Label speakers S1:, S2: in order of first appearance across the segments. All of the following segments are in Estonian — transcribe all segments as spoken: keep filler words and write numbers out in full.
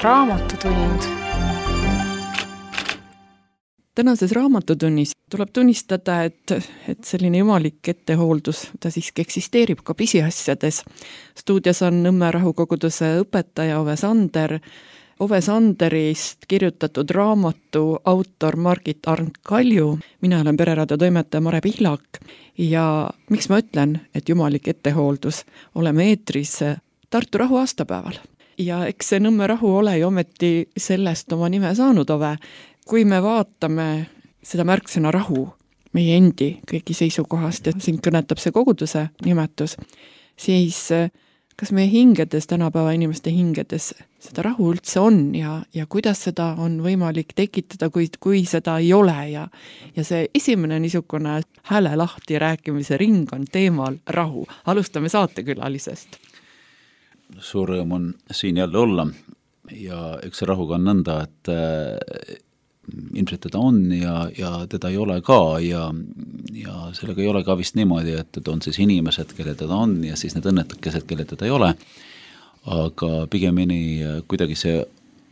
S1: raamatutund. Tänases raamatutunnis tuleb tunnistada, et, et selline jumalik ettehooldus, ta siiski eksisteerib ka pisiasjades. Stuudios on Nõmme rahukoguduse õpetaja Ove Sander, Ove Sanderist kirjutatud raamatu autor Margit Arnt-Kalju. Mina olen Pereraadio toimetaja Mare Pihlak ja miks ma ütlen, et jumalik ettehooldus, oleme eetris Tartu rahu aastapäeval. Ja eks see Nõmme rahu ole ju ometi sellest oma nime saanud, Ove. Kui me vaatame seda märksõna rahu meie endi kõigi seisukohast ja siin kõnetab see koguduse nimetus, siis kas meie hingedes, tänapäeva inimeste hingedes seda rahu üldse on ja, ja kuidas seda on võimalik tekitada, kui, kui seda ei ole ja, ja see esimene niisugune hääle lahti rääkimise ring on teemal rahu. Alustame saatekülalisest.
S2: Suur rõõm on siin jälle olla ja üks rahuga on nõnda, et äh, ilmselt teda on ja, ja teda ei ole ka ja, ja sellega ei ole ka vist niimoodi, et on siis inimesed, kelle teda on ja siis need õnnetukesed, kelle teda ei ole, aga pigemini kuidagi see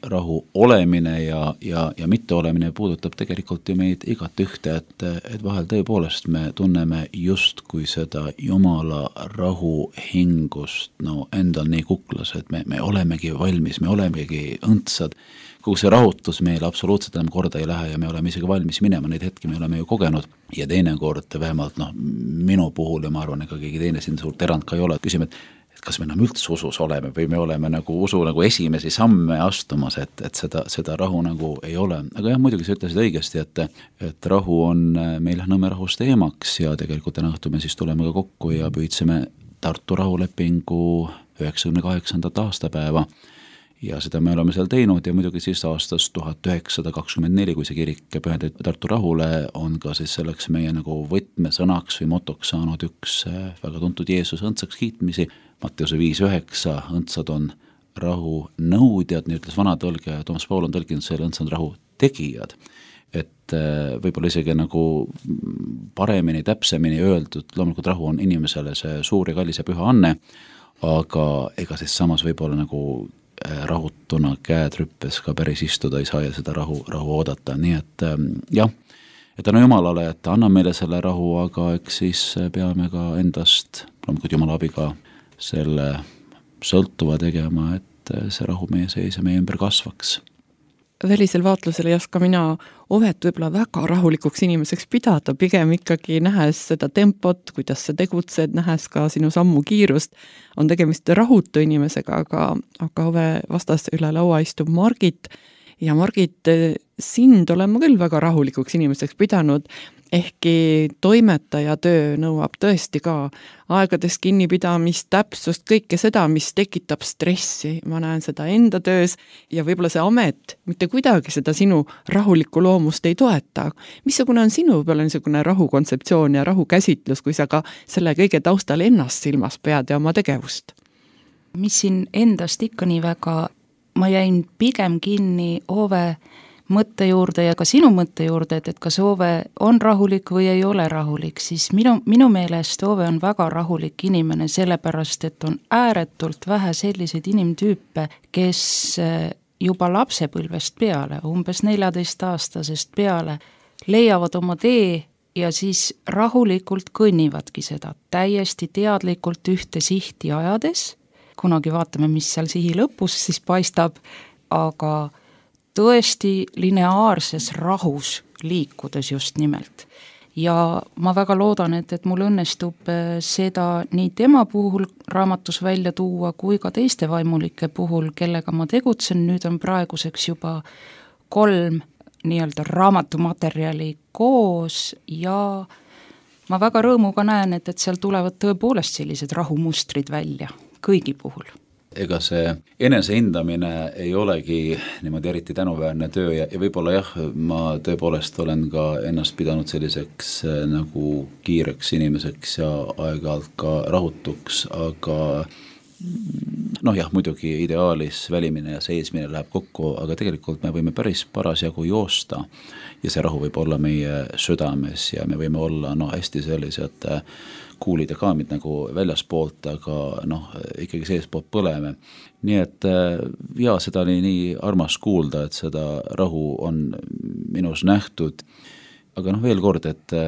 S2: rahu olemine ja, ja, ja mitte olemine puudutab tegelikult ju meid igat ühte, et, et vahel tõepoolest me tunneme just kui seda Jumala rahu hingust no endal nii kuklas, et me, me olemegi valmis, me olemegi õndsad, kui see rahutus meil absoluutselt enam korda ei lähe ja me oleme isegi valmis minema, neid hetki me oleme ju kogenud ja teinekord vähemalt noh, minu puhul ja ma arvan, ega keegi teine siin suurt erand ka ei ole, et küsime, et et kas me enam üldse usus oleme või me oleme nagu usu nagu esimesi samme astumas, et, et seda, seda rahu nagu ei ole. Aga jah, muidugi sa ütlesid õigesti, et, et rahu on meil Nõmme rahus teemaks ja tegelikult täna õhtul me siis tuleme ka kokku ja püüdsime Tartu rahulepingu üheksakümne kaheksandat aastapäeva ja seda me oleme seal teinud ja muidugi siis aastast tuhat üheksasada kakskümmend neli, kui see kirik pühendati Tartu rahule, on ka siis selleks meie nagu võtmesõnaks või motoks saanud üks väga tuntud Jeesus õndsaks kiitmisi, Matteuse viis üheksa, õndsad on rahu nõudjad, nii ütles vanatõlge, Toomas Paul on tõlkinud selle õndsad rahu tegijad. Et võib-olla isegi nagu paremini, täpsemini öeldud, loomulikult rahu on inimesele see suur ja kallis ja püha anne, aga ega siis samas võib-olla nagu rahutuna käed rüppes ka päris istuda ei saa ja seda rahu, rahu oodata, nii et jah, et tänu Jumalale, et anna meile selle rahu, aga eks siis peame ka endast, loomulikult Jumala abiga selle sõltuva tegema, et see rahu meie sees ja meie ümber kasvaks.
S1: Välisel vaatlusel ei oska mina Ovet võib-olla väga rahulikuks inimeseks pidada, pigem ikkagi nähes seda tempot, kuidas sa tegutsed, nähes ka sinu sammu kiirust, on tegemist rahutu inimesega, aga, aga Ove vastas üle laua istub Margit ja Margit, sind olen ma küll väga rahulikuks inimeseks pidanud, ehkki toimetaja töö nõuab tõesti ka aegades kinnipidamist, täpsust, kõike seda, mis tekitab stressi. Ma näen seda enda töös ja võib-olla see amet mitte kuidagi seda sinu rahulikku loomust ei toeta. Missugune on sinu võib-olla niisugune rahukontseptsioon ja rahukäsitlus, kui sa ka selle kõige taustal ennast silmas pead ja oma tegevust?
S3: Mis siin endast ikka nii väga, ma jäin pigem kinni Ove mõtte juurde ja ka sinu mõtte juurde, et, et kas Ove on rahulik või ei ole rahulik, siis minu, minu meelest Ove on väga rahulik inimene, sellepärast, et on ääretult vähe selliseid inimtüüpe, kes juba lapsepõlvest peale, umbes neljateist-aastasest peale, leiavad oma tee ja siis rahulikult kõnnivadki seda, täiesti teadlikult ühte sihti ajades, kunagi vaatame, mis seal sihi lõpus siis paistab, aga tõesti lineaarses rahus liikudes just nimelt. Ja ma väga loodan, et, et mul õnnestub seda nii tema puhul raamatus välja tuua, kui ka teiste vaimulike puhul, kellega ma tegutsen, nüüd on praeguseks juba kolm nii-öelda raamatumaterjali koos ja ma väga rõõmuga näen, et, et seal tulevad tõepoolest sellised rahumustrid välja kõigi puhul.
S2: Ega see enesehindamine ei olegi niimoodi eriti tänuväärne töö ja, ja võib-olla jah, ma tõepoolest olen ka ennast pidanud selliseks nagu kiireks inimeseks ja aeg-ajalt ka rahutuks, aga noh jah, muidugi ideaalis välimine ja seismine läheb kokku, aga tegelikult me võime päris parasjagu joosta ja see rahu võib olla meie südames ja me võime olla no hästi sellised kuulid ja kaamid nagu väljaspoolt, aga noh, ikkagi seespoolt põleme. Nii et ja seda oli nii armas kuulda, et seda rahu on minus nähtud, aga noh, veel kord, et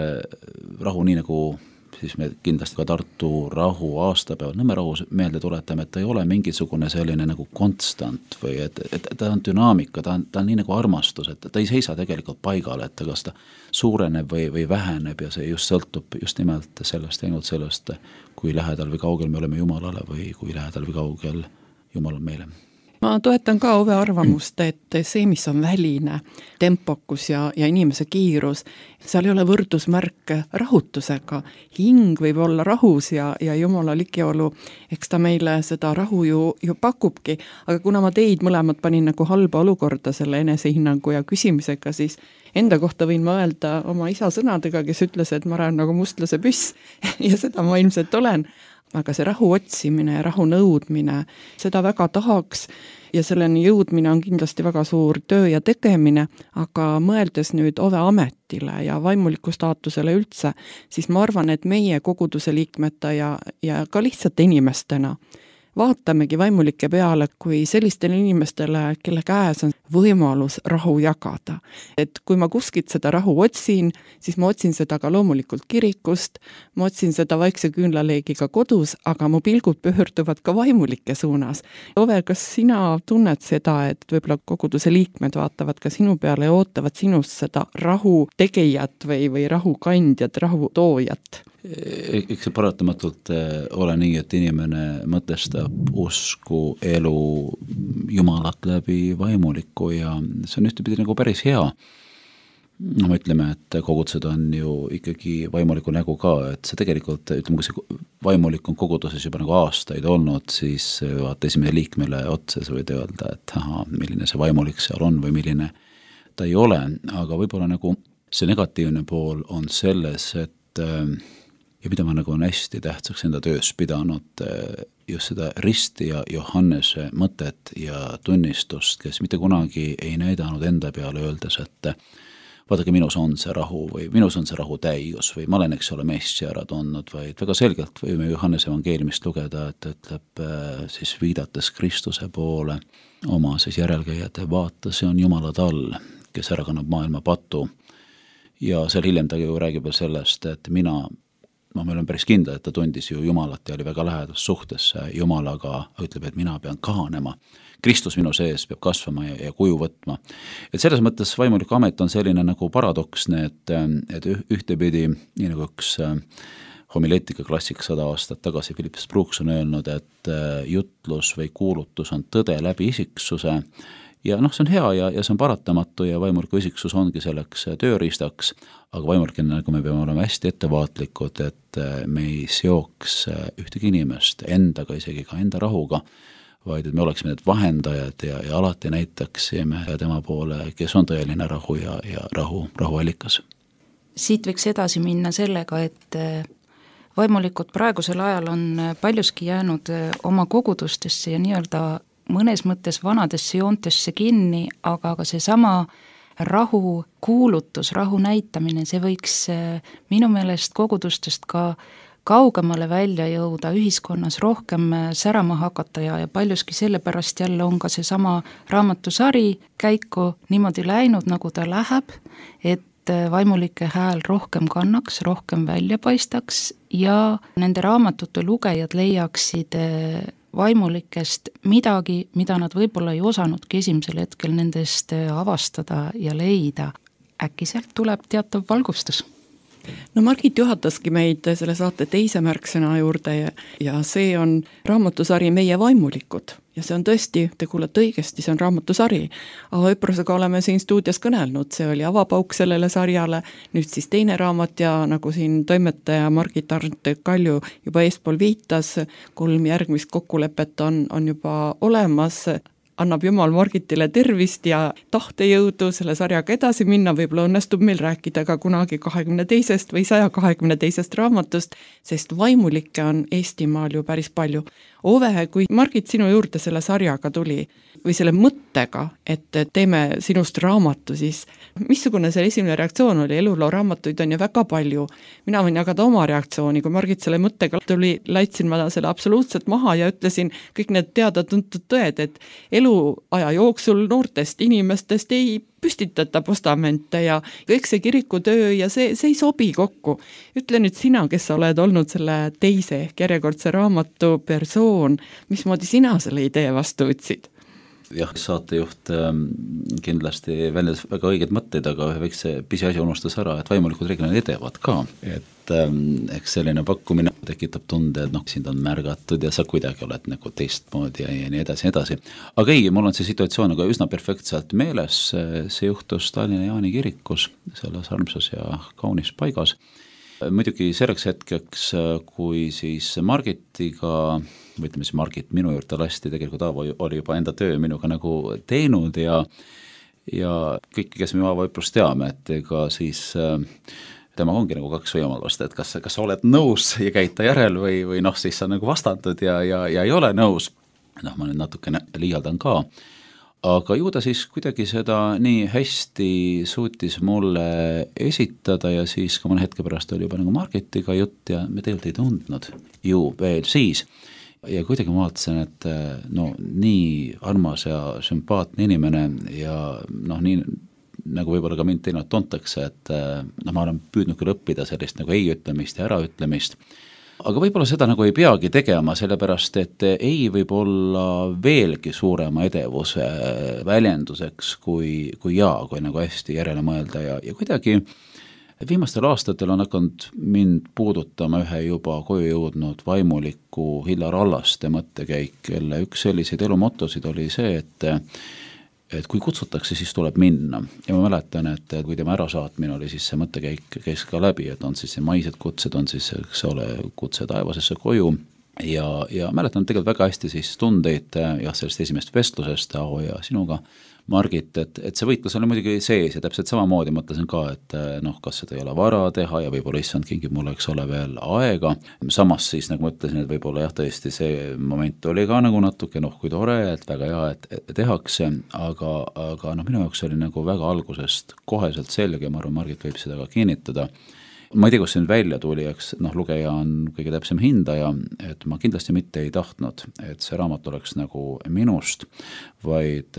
S2: rahu nii nagu siis me kindlasti ka Tartu rahu aastapäeval Nõmme rahu meelde tuletame, et ta ei ole mingisugune selline nagu konstant või et, et ta on dünaamika, ta on, ta on nii nagu armastus, et ta ei seisa tegelikult paigal, et kas ta suureneb või, või väheneb ja see just sõltub just nimelt sellest, ainult sellest, kui lähedal või kaugel me oleme Jumalale või kui lähedal või kaugel Jumal on meile.
S1: Ma toetan ka Ove arvamust, et see, mis on väline, tempokus ja, ja inimese kiirus, seal ei ole võrdusmärk rahutusega. Hing võib olla rahus ja, ja Jumala ligiolu, eks ta meile seda rahu ju, ju pakubki, aga kuna ma teid mõlemad panin nagu halba olukorda selle enesehinnangu ja küsimisega, siis enda kohta võin ma öelda oma isa sõnadega, kes ütles, et ma olen nagu mustlase püss ja seda ma ilmselt olen. Aga see rahu otsimine ja rahu nõudmine, seda väga tahaks ja selleni jõudmine on kindlasti väga suur töö ja tegemine, aga mõeldes nüüd Ove ametile ja vaimuliku staatusele üldse, siis ma arvan, et meie koguduse liikmete ja, ja ka lihtsalt inimestena vaatamegi vaimulike peale kui sellistele inimestele, kelle käes on võimalus rahu jagada. Et kui ma kuskilt seda rahu otsin, siis ma otsin seda ka loomulikult kirikust, ma otsin seda vaikse küünlaleegiga kodus, aga mu pilgud pöörduvad ka vaimulike suunas. Ove, kas sina tunned seda, et võib-olla koguduse liikmed vaatavad ka sinu peale ja ootavad sinust seda rahu tegijat või, või rahu kandjat, rahu toojat?
S2: Eks see paratamatult ole nii, et inimene mõtestab usku, elu, Jumalat läbi vaimuliku ja see on ühtepidi nagu päris hea. No me ütleme, et kogudused on ju ikkagi vaimuliku nägu ka, et see tegelikult, ütleme, kui see vaimulik on koguduses juba nagu aastaid olnud, siis vaata esimene liikmele otsa sa võid öelda, et aha, milline see vaimulik seal on või milline ta ei ole, aga võib-olla nagu see negatiivne pool on selles, et ja mida ma nagu on hästi tähtsaks enda töös pidanud just seda Risti ja Johannese mõtet ja tunnistust, kes mitte kunagi ei näidanud enda peale öeldes, et vaadake, minus on see rahu või minus on see rahu täius või ma olen, eks ole, meist ära tundnud, vaid väga selgelt võime Johannese evangeeliumist lugeda, et ütleb siis viidates Kristuse poole oma siis järelkäijate vaata, see on Jumala tall, kes ära kannab maailma patu ja seal hiljem ta ju räägib veel sellest, et mina ma meil on päris kindla, et ta tundis ju Jumalat ja oli väga lähedus suhtesse Jumalaga, ütleb, et mina pean kahanema. Kristus minu sees peab kasvama ja, ja kuju võtma. Et selles mõttes vaimuliku amet on selline nagu paradoksne, et, et ühtepidi, nii nagu üks homileetika klassik sada aastat tagasi Philips Brooks on öelnud, et jutlus või kuulutus on tõde läbi isiksuse ja noh, see on hea ja, ja see on paratamatu ja vaimuliku isiksus ongi selleks tööriistaks, aga vaimulikena nagu me peame olema hästi ettevaatlikud, et me ei seoks ühtegi inimest endaga, isegi ka enda rahuga, vaid et me oleksime need vahendajad ja, ja alati näitaksime tema poole, kes on tõeline rahu ja, ja rahu, rahuallikas.
S3: Siit võiks edasi minna sellega, et vaimulikud praegusel ajal on paljuski jäänud oma kogudustesse ja nii-öelda mõnes mõttes vanadesse joontesse kinni, aga ka see sama rahu kuulutus, rahu näitamine, see võiks minu meelest kogudustest ka kaugemale välja jõuda, ühiskonnas rohkem särama hakata ja, ja paljuski sellepärast jälle on ka see sama raamatusari käiku niimoodi läinud, nagu ta läheb, et vaimulike hääl rohkem kannaks, rohkem välja paistaks ja nende raamatute lugejad leiaksid vaimulikest midagi, mida nad võib-olla ei osanudki esimesel hetkel nendest avastada ja leida. Äkki sealt tuleb teatav valgustus?
S1: No Margit juhataski meid selle saate teise märksõna juurde ja, ja see on raamatusari Meie vaimulikud. Ja see on tõesti, te kuulete õigesti, see on raamatusari. Ava Üprosega oleme siin stuudios kõnelnud, see oli avapauk sellele sarjale, nüüd siis teine raamat ja nagu siin toimetaja Margit Arnt Kalju juba eespool viitas, kolm järgmist kokkulepet on, on juba olemas, annab Jumal Margitile tervist ja tahtejõudu selle sarjaga edasi minna, võib-olla õnnestub meil rääkida ka kunagi kahekümne teisest või saja kahekümne teisest raamatust, sest vaimulikke on Eestimaal ju päris palju. Ove, kui Margit sinu juurde selle sarjaga tuli või selle mõttega, et teeme sinust raamatu, siis missugune see esimene reaktsioon oli? Eluloo raamatuid on ju väga palju. Mina võin jagada oma reaktsiooni, kui Margit selle mõttega tuli, laitsin ma selle absoluutselt maha ja ütlesin kõik need teada-tuntud tõed, et eluaja jooksul noortest inimestest ei püstitata postamente ja kõik see kirikutöö ja see, see ei sobi kokku. Ütle nüüd sina, kes sa oled olnud selle teise ehk järjekordse raamatu persoon, mismoodi sina selle idee vastu võtsid?
S2: Jah, saatejuht ähm, kindlasti väljas väga õiged mõtteid, aga ühe väikse pisiasi unustas ära, et vaimulikud reeglina edevad ka, et ähm, eks selline pakkumine tekitab tunde, et noh, sind on märgatud ja sa kuidagi oled nagu teistmoodi ja, ja nii edasi, nii edasi. Aga ei, mul on see situatsioon aga üsna perfektselt meeles, see juhtus Tallinna Jaani kirikus, selles armsas ja kaunis paigas. Muidugi selleks hetkeks, kui siis Margitiga, või ütleme siis Margit minu juurde lasti, tegelikult Aavo oli juba enda töö minuga nagu teinud ja ja kõik, kes me Aavo Õprust teame, et ega siis tema ongi nagu kaks võimalust, et kas, kas sa oled nõus ja käid ta järel või, või noh, siis sa nagu vastantud ja, ja, ja ei ole nõus. Noh, ma nüüd natukene liialdan ka. Aga ju ta siis kuidagi seda nii hästi suutis mulle esitada ja siis ka mõne hetke pärast oli juba nagu Margitiga jutt ja me tegelikult ei tundnud ju veel siis. Ja kuidagi ma vaatasin, et no nii armas ja sümpaatne inimene ja noh, nii nagu võib-olla ka mind teinud tuntakse, et no, ma olen püüdnud küll õppida sellist nagu ei ütlemist ja ära ütlemist. Aga võib-olla seda nagu ei peagi tegema, sellepärast et ei võib olla veelgi suurema edevuse väljenduseks kui, kui jaa, kui nagu hästi järele mõelda ja, ja kuidagi viimastel aastatel on hakanud mind puudutama ühe juba koju jõudnud vaimuliku Hillar Allaste mõttekäik, kelle üks selliseid elumotosid oli see, et et kui kutsutakse, siis tuleb minna. Ja ma mäletan, et kui tema ärasaatmine oli, siis see mõttekäik käis ka läbi, et on siis see maised kutsed, on siis, eks ole, kutse taevasesse koju. Ja, ja mäletan tegelikult väga hästi siis tundeid jah, sellest esimest vestlusest Aavo ja sinuga, Margit, et, et see võitlus oli muidugi sees ja täpselt samamoodi mõtlesin ka, et noh, kas seda ei ole vara teha ja võib-olla issand kingib mulle, eks ole, veel aega. Samas siis nagu mõtlesin, et võib-olla jah, tõesti see moment oli ka nagu natuke noh, kui tore, et väga hea, et, et tehakse, aga, aga noh, minu jaoks oli nagu väga algusest koheselt selge ja ma arvan, Margit võib seda ka kinnitada. Ma ei tea, kus see nüüd välja tuli, eks noh, lugeja on kõige täpsem hindaja, et ma kindlasti mitte ei tahtnud, et see raamat oleks nagu minust, vaid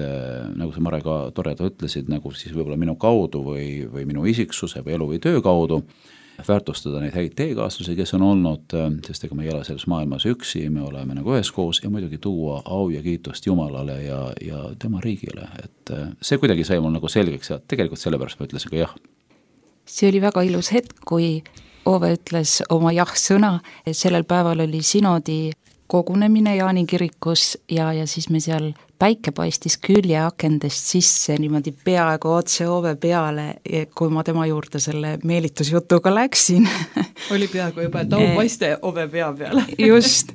S2: nagu sa Mare ka toreda ütlesid, nagu siis võib-olla minu kaudu või, või minu isiksuse või elu või töö kaudu väärtustada neid häid teekaaslasi, kes on olnud, sest ega me ei ole selles maailmas üksi, me oleme nagu üheskoos ja muidugi tuua au ja kiitust Jumalale ja, ja tema riigile, et see kuidagi sai mul nagu selgeks ja tegelikult sellepärast ma ütlesin ka jah.
S3: See oli väga ilus hetk, kui Ove ütles oma jah-sõna, sellel päeval oli sinodi kogunemine Jaani kirikus ja, ja siis me seal päike paistis küljeakendest sisse niimoodi peaaegu otse Ove peale, kui ma tema juurde selle meelitusjutuga läksin.
S1: Oli peaaegu juba, et au paiste Ove pea peale.
S3: Just,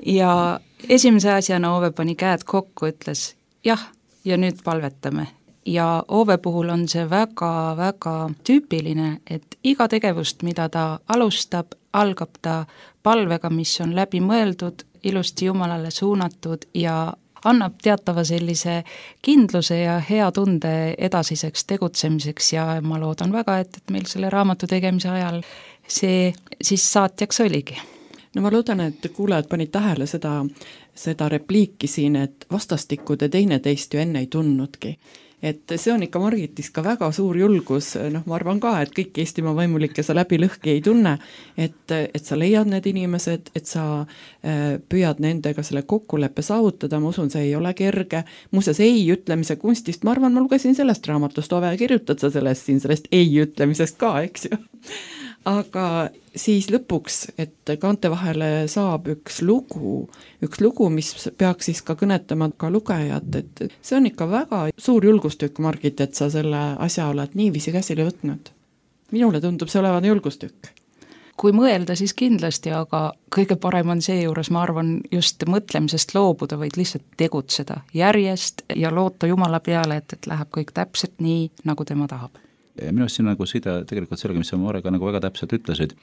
S3: ja esimese asjana Ove pani käed kokku, ütles jah, ja nüüd palvetame. Ja Ove puhul on see väga-väga tüüpiline, et iga tegevust, mida ta alustab, algab ta palvega, mis on läbi mõeldud, ilusti Jumalale suunatud ja annab teatava sellise kindluse ja hea tunde edasiseks tegutsemiseks ja ma loodan väga, et, et meil selle raamatu tegemise ajal see siis saatjaks oligi.
S1: No ma loodan, et kuulajad panid tähele seda, seda repliiki siin, et vastastikku te teineteist ju enne ei tundnudki. Et see on ikka Margitis ka väga suur julgus, noh ma arvan ka, et kõik Eestimaa vaimulikke sa läbi lõhki ei tunne, et, et sa leiad need inimesed, et sa äh, püüad nendega selle kokkuleppe saavutada, ma usun, see ei ole kerge, muuseas ei ütlemise kunstist, ma arvan, ma lugesin sellest raamatust, Ove, kirjutad sa sellest siin, sellest ei ütlemisest ka, eks ju. Aga siis lõpuks, et kaante vahele saab üks lugu, üks lugu, mis peaks siis ka kõnetama ka lugejat, et see on ikka väga suur julgustükk, Margit, et sa selle asja oled niiviisi käsile võtnud. Minule tundub see olevat julgustükk.
S3: kui mõelda, siis kindlasti, aga kõige parem on seejuures, ma arvan, just mõtlemisest loobuda, vaid lihtsalt tegutseda järjest ja loota Jumala peale, et, et läheb kõik täpselt nii, nagu tema tahab.
S2: Minu arust siin nagu side tegelikult sellega, mis sa Marega nagu väga täpselt ütlesid,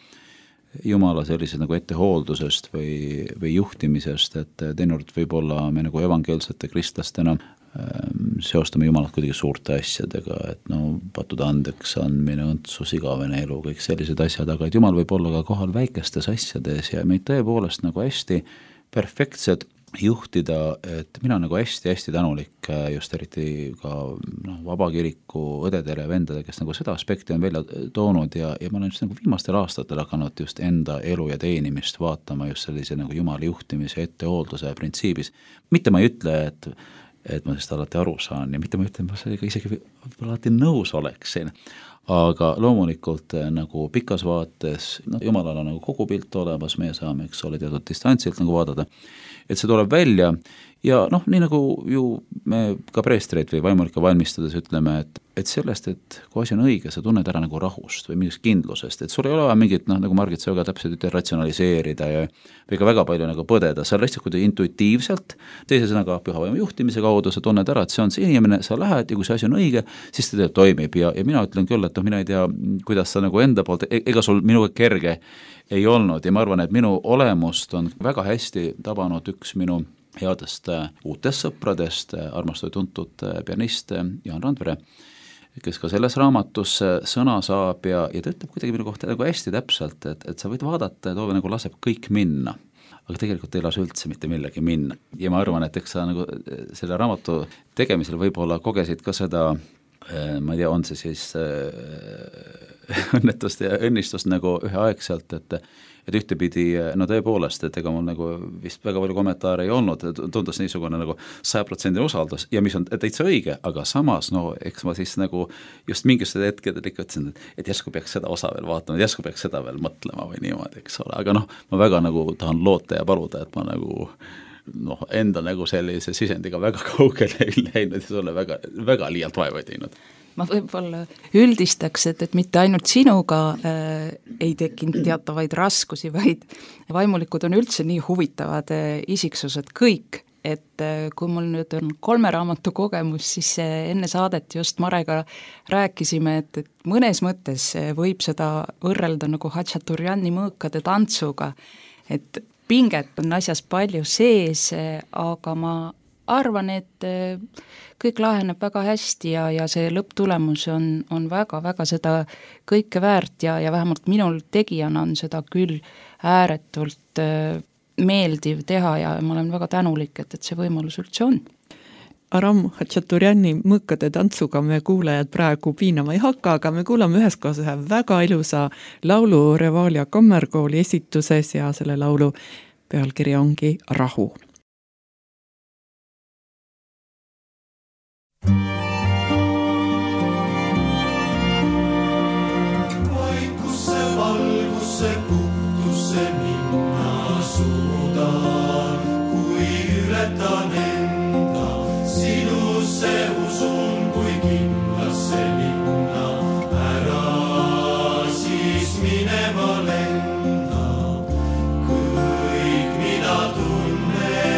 S2: Jumala sellised nagu ettehooldusest või, või juhtimisest, et teinekord võib-olla me nagu evangeelsete kristlastena ähm, seostame Jumalat kuidagi suurte asjadega, et no pattude andeks andmine, õndsus, igavene elu, kõik sellised asjad, aga et Jumal võib olla ka kohal väikestes asjades ja meid tõepoolest nagu hästi perfektsed juhtida, et mina nagu hästi-hästi tänulik just eriti ka no, vabakiriku õdedele ja vendadele, kes nagu seda aspekti on välja toonud ja, ja ma olen just nagu viimastel aastatel hakanud just enda elu ja teenimist vaatama just sellise nagu Jumala juhtimise ettehoolduse printsiibis. Mitte ma ei ütle, et, et ma sellest alati aru saan ja mitte ma ütlen, ma sellega isegi alati nõus oleksin, aga loomulikult nagu pikas vaates, no Jumalal on nagu kogu pilt olemas, meie saame, eks ole, teatud distantsilt nagu vaadata, et see tuleb välja ja noh, nii nagu ju me ka preestreid või vaimulikke valmistades ütleme, et, et sellest, et kui asi on õige, sa tunned ära nagu rahust või mingist kindlusest, et sul ei ole vaja mingit, noh, nagu Margit sa väga täpselt ütle, ratsionaliseerida ja või ka väga palju nagu põdeda, sa lihtsalt kuidagi intuitiivselt, teise sõnaga püha vaimu juhtimise kaudu sa tunned ära, et see on see inimene, sa lähed ja kui see asi on õige, siis ta toimib ja, ja mina ütlen küll, et noh, mina ei tea, kuidas sa nagu enda poolt, ega sul minuga kerge ei olnud ja ma arvan, et minu olemust on väga hästi tabanud üks minu headest uutest sõpradest, armastatud tuntud pianist Jaan Randvere, kes ka selles raamatus sõna saab ja, ja ta ütleb kuidagi minu kohta nagu hästi täpselt, et, et sa võid vaadata, et Oove nagu laseb kõik minna, aga tegelikult ei lase üldse mitte millegi minna. Ja ma arvan, et eks sa nagu selle raamatu tegemisel võib-olla kogesid ka seda, ma ei tea, on see siis õnnetust ja õnnistust nagu üheaegselt, et et ühtepidi, no tõepoolest, et ega mul nagu vist väga palju kommentaare ei olnud, tundus niisugune nagu saja protsendi usaldus ja mis on täitsa õige, aga samas, no eks ma siis nagu just mingisugused hetkedel ikka ütlesin, et järsku peaks seda osa veel vaatama, järsku peaks seda veel mõtlema või niimoodi, eks ole, aga noh, ma väga nagu tahan loota ja paluda, et ma nagu noh, enda nagu sellise sisendiga väga kaugele ei läinud ja sulle väga, väga liialt vaeva ei teinud.
S3: Ma võib-olla üldistaks, et, et mitte ainult sinuga äh, ei tekkinud teatavaid raskusi, vaid vaimulikud on üldse nii huvitavad äh, isiksused kõik, et äh, kui mul nüüd on kolme raamatu kogemus, siis äh, enne saadet just Marega rääkisime, et, et mõnes mõttes äh, võib seda võrrelda nagu Hatšaturjani mõõkade tantsuga, et pinget on asjas palju sees, äh, aga ma arvan, et kõik laheneb väga hästi ja, ja see lõpptulemus on, on väga-väga seda kõike väärt ja, ja vähemalt minul tegijana on seda küll ääretult meeldiv teha ja ma olen väga tänulik, et, et see võimalus üldse on.
S1: Aram Hatšaturjani mõõkade tantsuga me kuulajad praegu piinama ei hakka, aga me kuulame üheskoos ühe väga ilusa laulu Revalia kammerkooli esituses ja selle laulu pealkiri ongi Rahu.
S4: Minema lenda, kõik mida tunnen.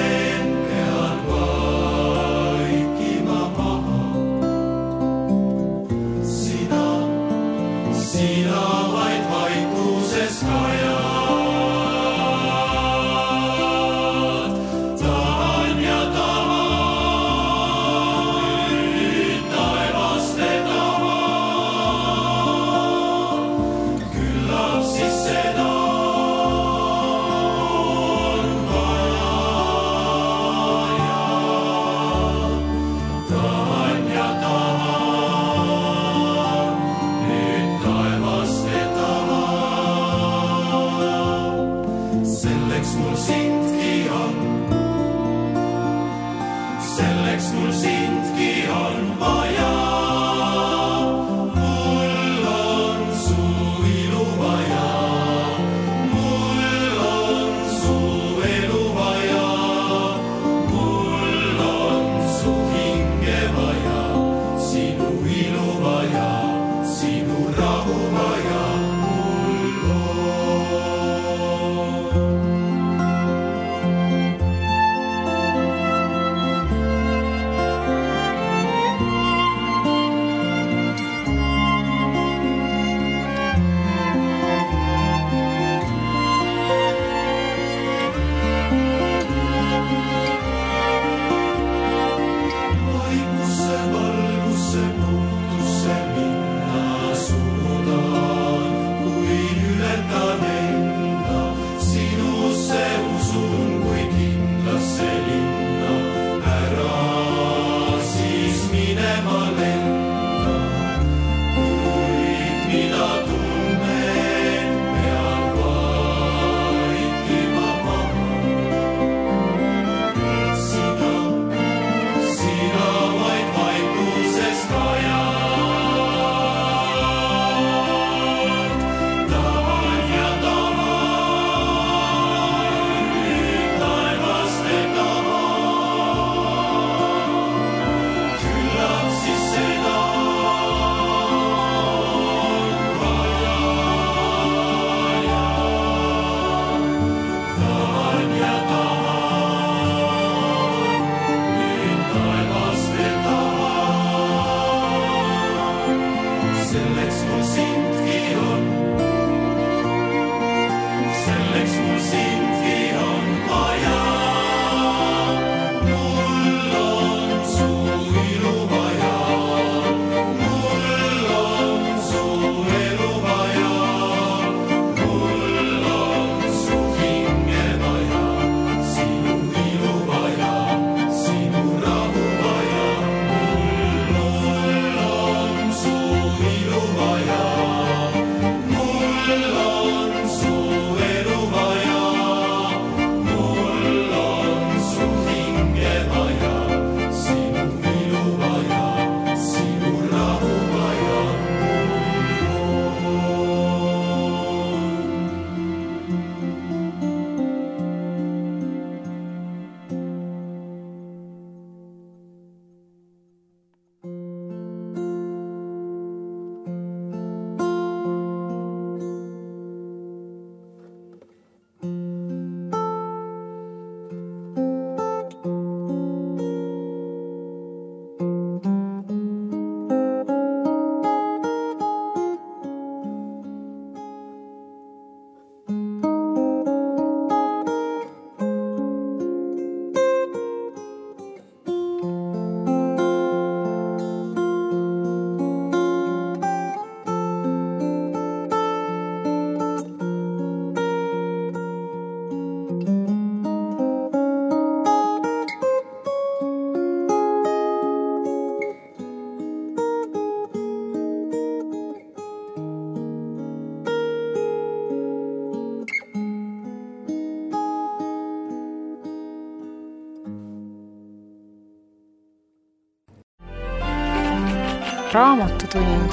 S3: raamatutund.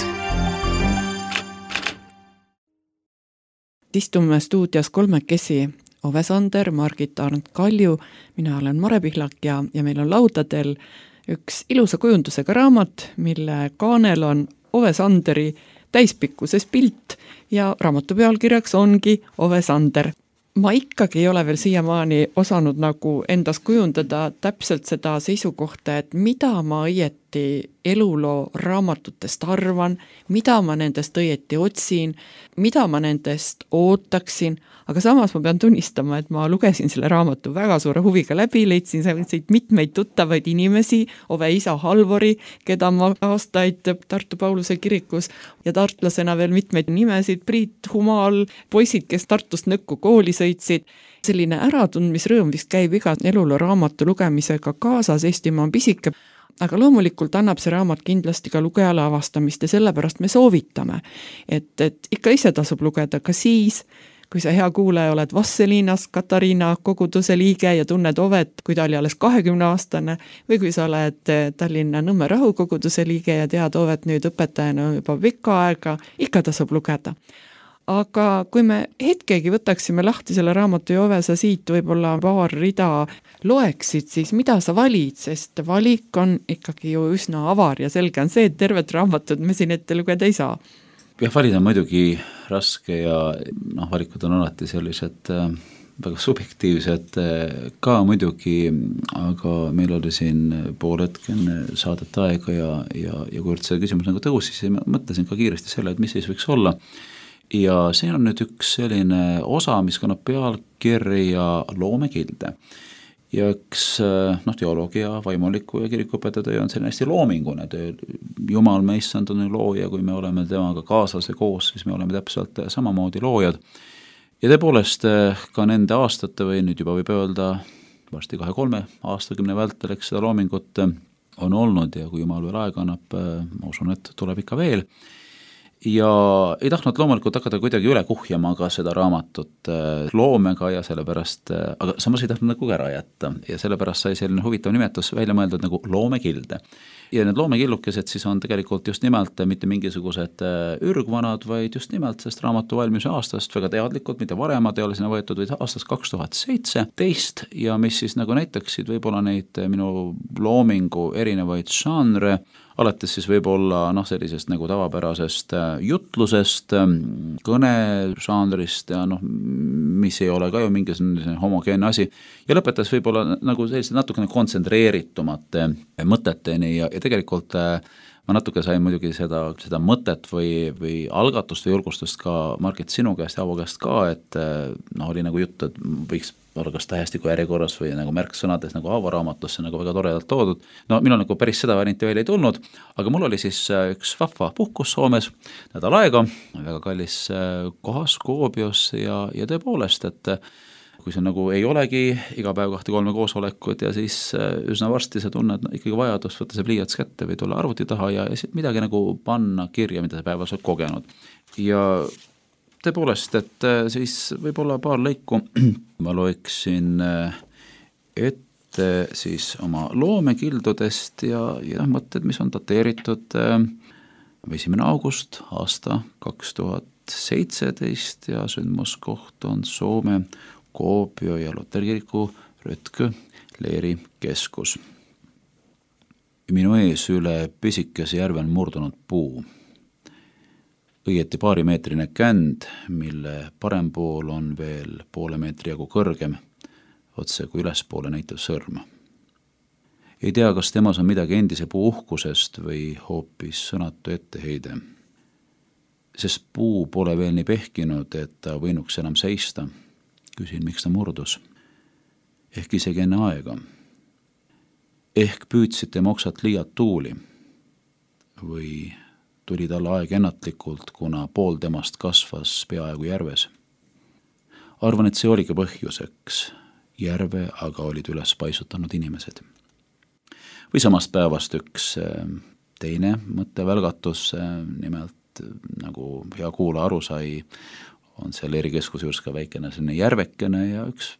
S1: Istume stuudios kolmekesi, Ove Sander, Margit Arnt-Kalju, mina olen Mare Pihlak ja, ja meil on laudadel üks ilusa kujundusega raamat, mille kaanel on Ove Sanderi täispikkuses pilt ja raamatu pealkirjaks ongi Ove Sander. Ma ikkagi ei ole veel siiamaani osanud nagu endas kujundada täpselt seda seisukohta, et mida ma õieti eluloo raamatutest arvan, mida ma nendest õieti otsin, mida ma nendest ootaksin, aga samas ma pean tunnistama, et ma lugesin selle raamatu väga suure huviga läbi, leidsin siit mitmeid tuttavaid inimesi, Ove isa Halvori, keda ma aastaid Tartu Pauluse kirikus ja tartlasena veel mitmeid nimesid, Priit Humal, poisid, kes Tartust Nõkku kooli sõitsid. Selline äratundmisrõõm vist käib iga eluloo raamatu lugemisega kaasas, Eestimaa on pisike, aga loomulikult annab see raamat kindlasti ka lugejale avastamist ja sellepärast me soovitame, et, et ikka ise tasub lugeda ka siis, kui sa hea kuulaja oled Vasseliinas Katariina koguduse liige ja tunned Ovet, kui ta oli alles kahekümne aastane, või kui sa oled Tallinna Nõmme rahukoguduse liige ja tead Ovet nüüd õpetajana juba pikka aega, ikka tasub lugeda. Aga kui me hetkegi võtaksime lahti selle raamatu ja Ove, sa siit võib-olla paar rida loeksid, siis mida sa valid, sest valik on ikkagi ju üsna avar ja selge on see, et tervet raamatut me siin ette lugeda ei saa.
S2: Jah, valida on muidugi raske ja noh, valikud on alati sellised äh, väga subjektiivsed äh, ka muidugi, aga meil oli siin pool hetk enne saadet aega ja, ja, ja kui see küsimus nagu tõusis, siis ma mõtlesin ka kiiresti selle, et mis siis võiks olla. Ja see on nüüd üks selline osa, mis kannab pealkirja loomekilde. Ja üks noh, teoloogia, vaimuliku ja kirikuõpetaja töö on selline hästi loomingune töö. Jumal meissand on looja, kui me oleme temaga kaasas ja koos, siis me oleme täpselt samamoodi loojad. Ja tõepoolest ka nende aastate või nüüd juba võib öelda varsti kahe-kolme aastakümne vältel, eks seda loomingut on olnud ja kui Jumal veel aega annab, ma usun, et tuleb ikka veel. Ja ei tahtnud loomulikult hakata kuidagi üle kuhjama ka seda raamatut loomega ja sellepärast, aga samas ei tahtnud nagu ära jätta ja sellepärast sai selline huvitav nimetus välja mõeldud nagu loomekilde. Ja need loomekillukesed siis on tegelikult just nimelt mitte mingisugused ürgvanad, vaid just nimelt sest raamatu valmimise aastast väga teadlikult, mitte varemad ei ole sinna võetud, vaid aastast kaks tuhat seitseteist ja mis siis nagu näitaksid võib-olla neid minu loomingu erinevaid žanre, alates siis võib-olla noh, sellisest nagu tavapärasest jutlusest, kõnežanrist ja noh, mis ei ole ka ju mingisugune homogeenne asi ja lõpetas võib-olla nagu sellised natukene kontsentreeritumate mõteteni ja, ja tegelikult ma natuke sain muidugi seda, seda mõtet või, või algatust või julgustust ka Margit sinu käest ja Avo käest ka, et noh, oli nagu jutt, et võiks olla kas tähestiku järjekorras või nagu märksõnades nagu Aavo raamatusse nagu väga toredalt toodud. No minul nagu päris seda varianti veel ei tulnud, aga mul oli siis üks vahva puhkus Soomes nädal aega, väga kallis kohas Kuopios ja, ja tõepoolest, et kui see nagu ei olegi iga päev kahte-kolme koosolekut ja siis üsna varsti sa tunned ikkagi vajadust võtta see pliiats kätte või tulla arvuti taha ja, ja midagi nagu panna kirja, mida sa päevas oled kogenud. Ja tõepoolest, et siis võib-olla paar lõiku ma loeksin ette siis oma loomekildudest ja, ja mõtted, mis on dateeritud esimene august aasta kaks tuhat seitseteist ja sündmuskoht on Soome Kuopio ja Luterkiriku Rötkö leeri keskus. Minu ees üle pisikese järve on murdunud puu. Õieti paarimeetrine känd, mille parem pool on veel poole meetri jagu kõrgem, otse kui ülespoole näitav sõrm. Ei tea, kas temas on midagi endise puu uhkusest või hoopis sõnatu etteheide. Sest puu pole veel nii pehkinud, et ta võinuks enam seista. Küsin, miks ta murdus. Ehk isegi enne aega. Ehk püüdsid tema oksat liialt tuuli. Või tuli talle aeg ennatlikult, kuna pool temast kasvas peaaegu järves. Arvan, et see oligi põhjuseks. Järve aga olid üles paisutanud inimesed. Või samast päevast üks teine mõttevälgatus, nimelt nagu hea kuula aru sai, on seal leerikeskuse juures ka väikene selline järvekene ja üks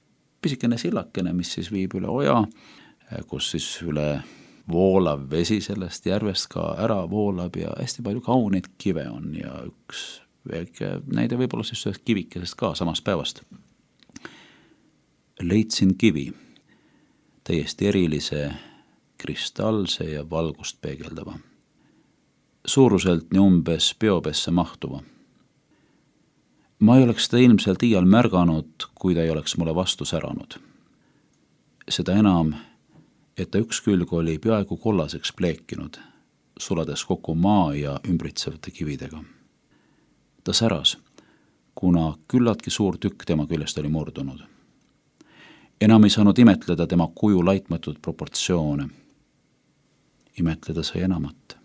S2: pisikene sillakene, mis siis viib üle oja, kus siis üle voolav vesi sellest järvest ka ära voolab ja hästi palju kauneid kive on ja üks väike näide võib-olla siis ühest kivikesest ka samast päevast. Leidsin kivi, täiesti erilise, kristallse ja valgust peegeldava. Suuruselt nii umbes peopesse mahtuva. Ma ei oleks seda ilmselt iial märganud, kui ta ei oleks mulle vastu säranud. Seda enam, et ta üks külg oli peaaegu kollaseks pleekinud, sulades kokku maa ja ümbritsevate kividega. Ta säras, kuna küllaltki suur tükk tema küljest oli murdunud. Enam ei saanud imetleda tema kuju laitmatud proportsioone. Imetleda sai enamat.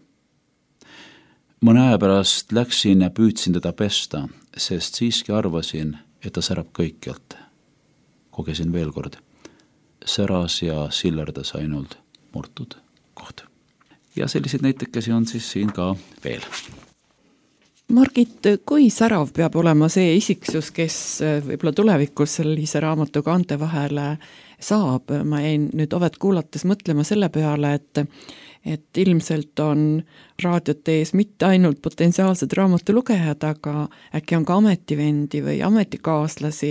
S2: Mõne aja pärast läksin ja püüdsin teda pesta, sest siiski arvasin, et ta särab kõikjalt. Kogesin veel kord. Säras ja sillerdas ainult murtud koht. Ja selliseid näitekesi on siis siin ka veel.
S1: Margit, kui särav peab olema see isiksus, kes võib-olla tulevikus sellise raamatu kaante vahele saab? Ma jäin nüüd Ovet kuulates mõtlema selle peale, et et ilmselt on raadiote ees mitte ainult potentsiaalsed raamatulugejad, aga äkki on ka ametivendi või ametikaaslasi,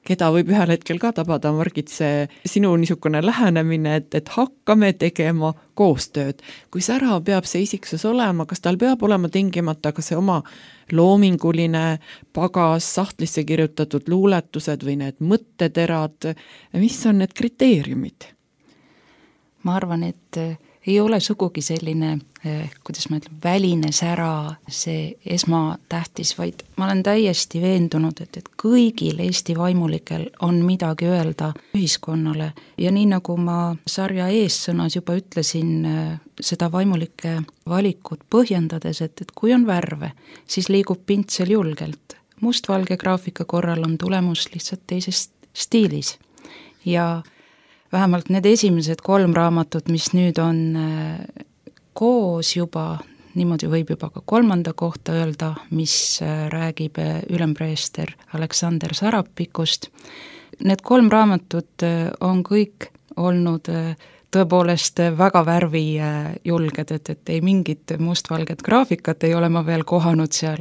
S1: keda võib ühel hetkel ka tabada, Margit, see sinu niisugune lähenemine, et, et hakkame tegema koostööd. Kui särav peab see isiksus olema, kas tal peab olema tingimata ka see oma loominguline pagas, sahtlisse kirjutatud luuletused või need mõtteterad, mis on need kriteeriumid?
S3: Ma arvan, et ei ole sugugi selline, kuidas ma ütlen, väline sära, see esmatähtis, vaid ma olen täiesti veendunud, et, et kõigil Eesti vaimulikel on midagi öelda ühiskonnale. Ja nii nagu ma sarja eessõnas juba ütlesin, seda vaimulike valikut põhjendades, et, et kui on värve, siis liigub pintsel julgelt. Mustvalge graafika korral on tulemus lihtsalt teises stiilis. Ja vähemalt need esimesed kolm raamatut, mis nüüd on koos juba, niimoodi võib juba ka kolmanda kohta öelda, mis räägib ülempreester Aleksander Sarapikust. Need kolm raamatut on kõik olnud tõepoolest väga värvijulged, et, et ei mingit mustvalget graafikat ei ole ma veel kohanud seal.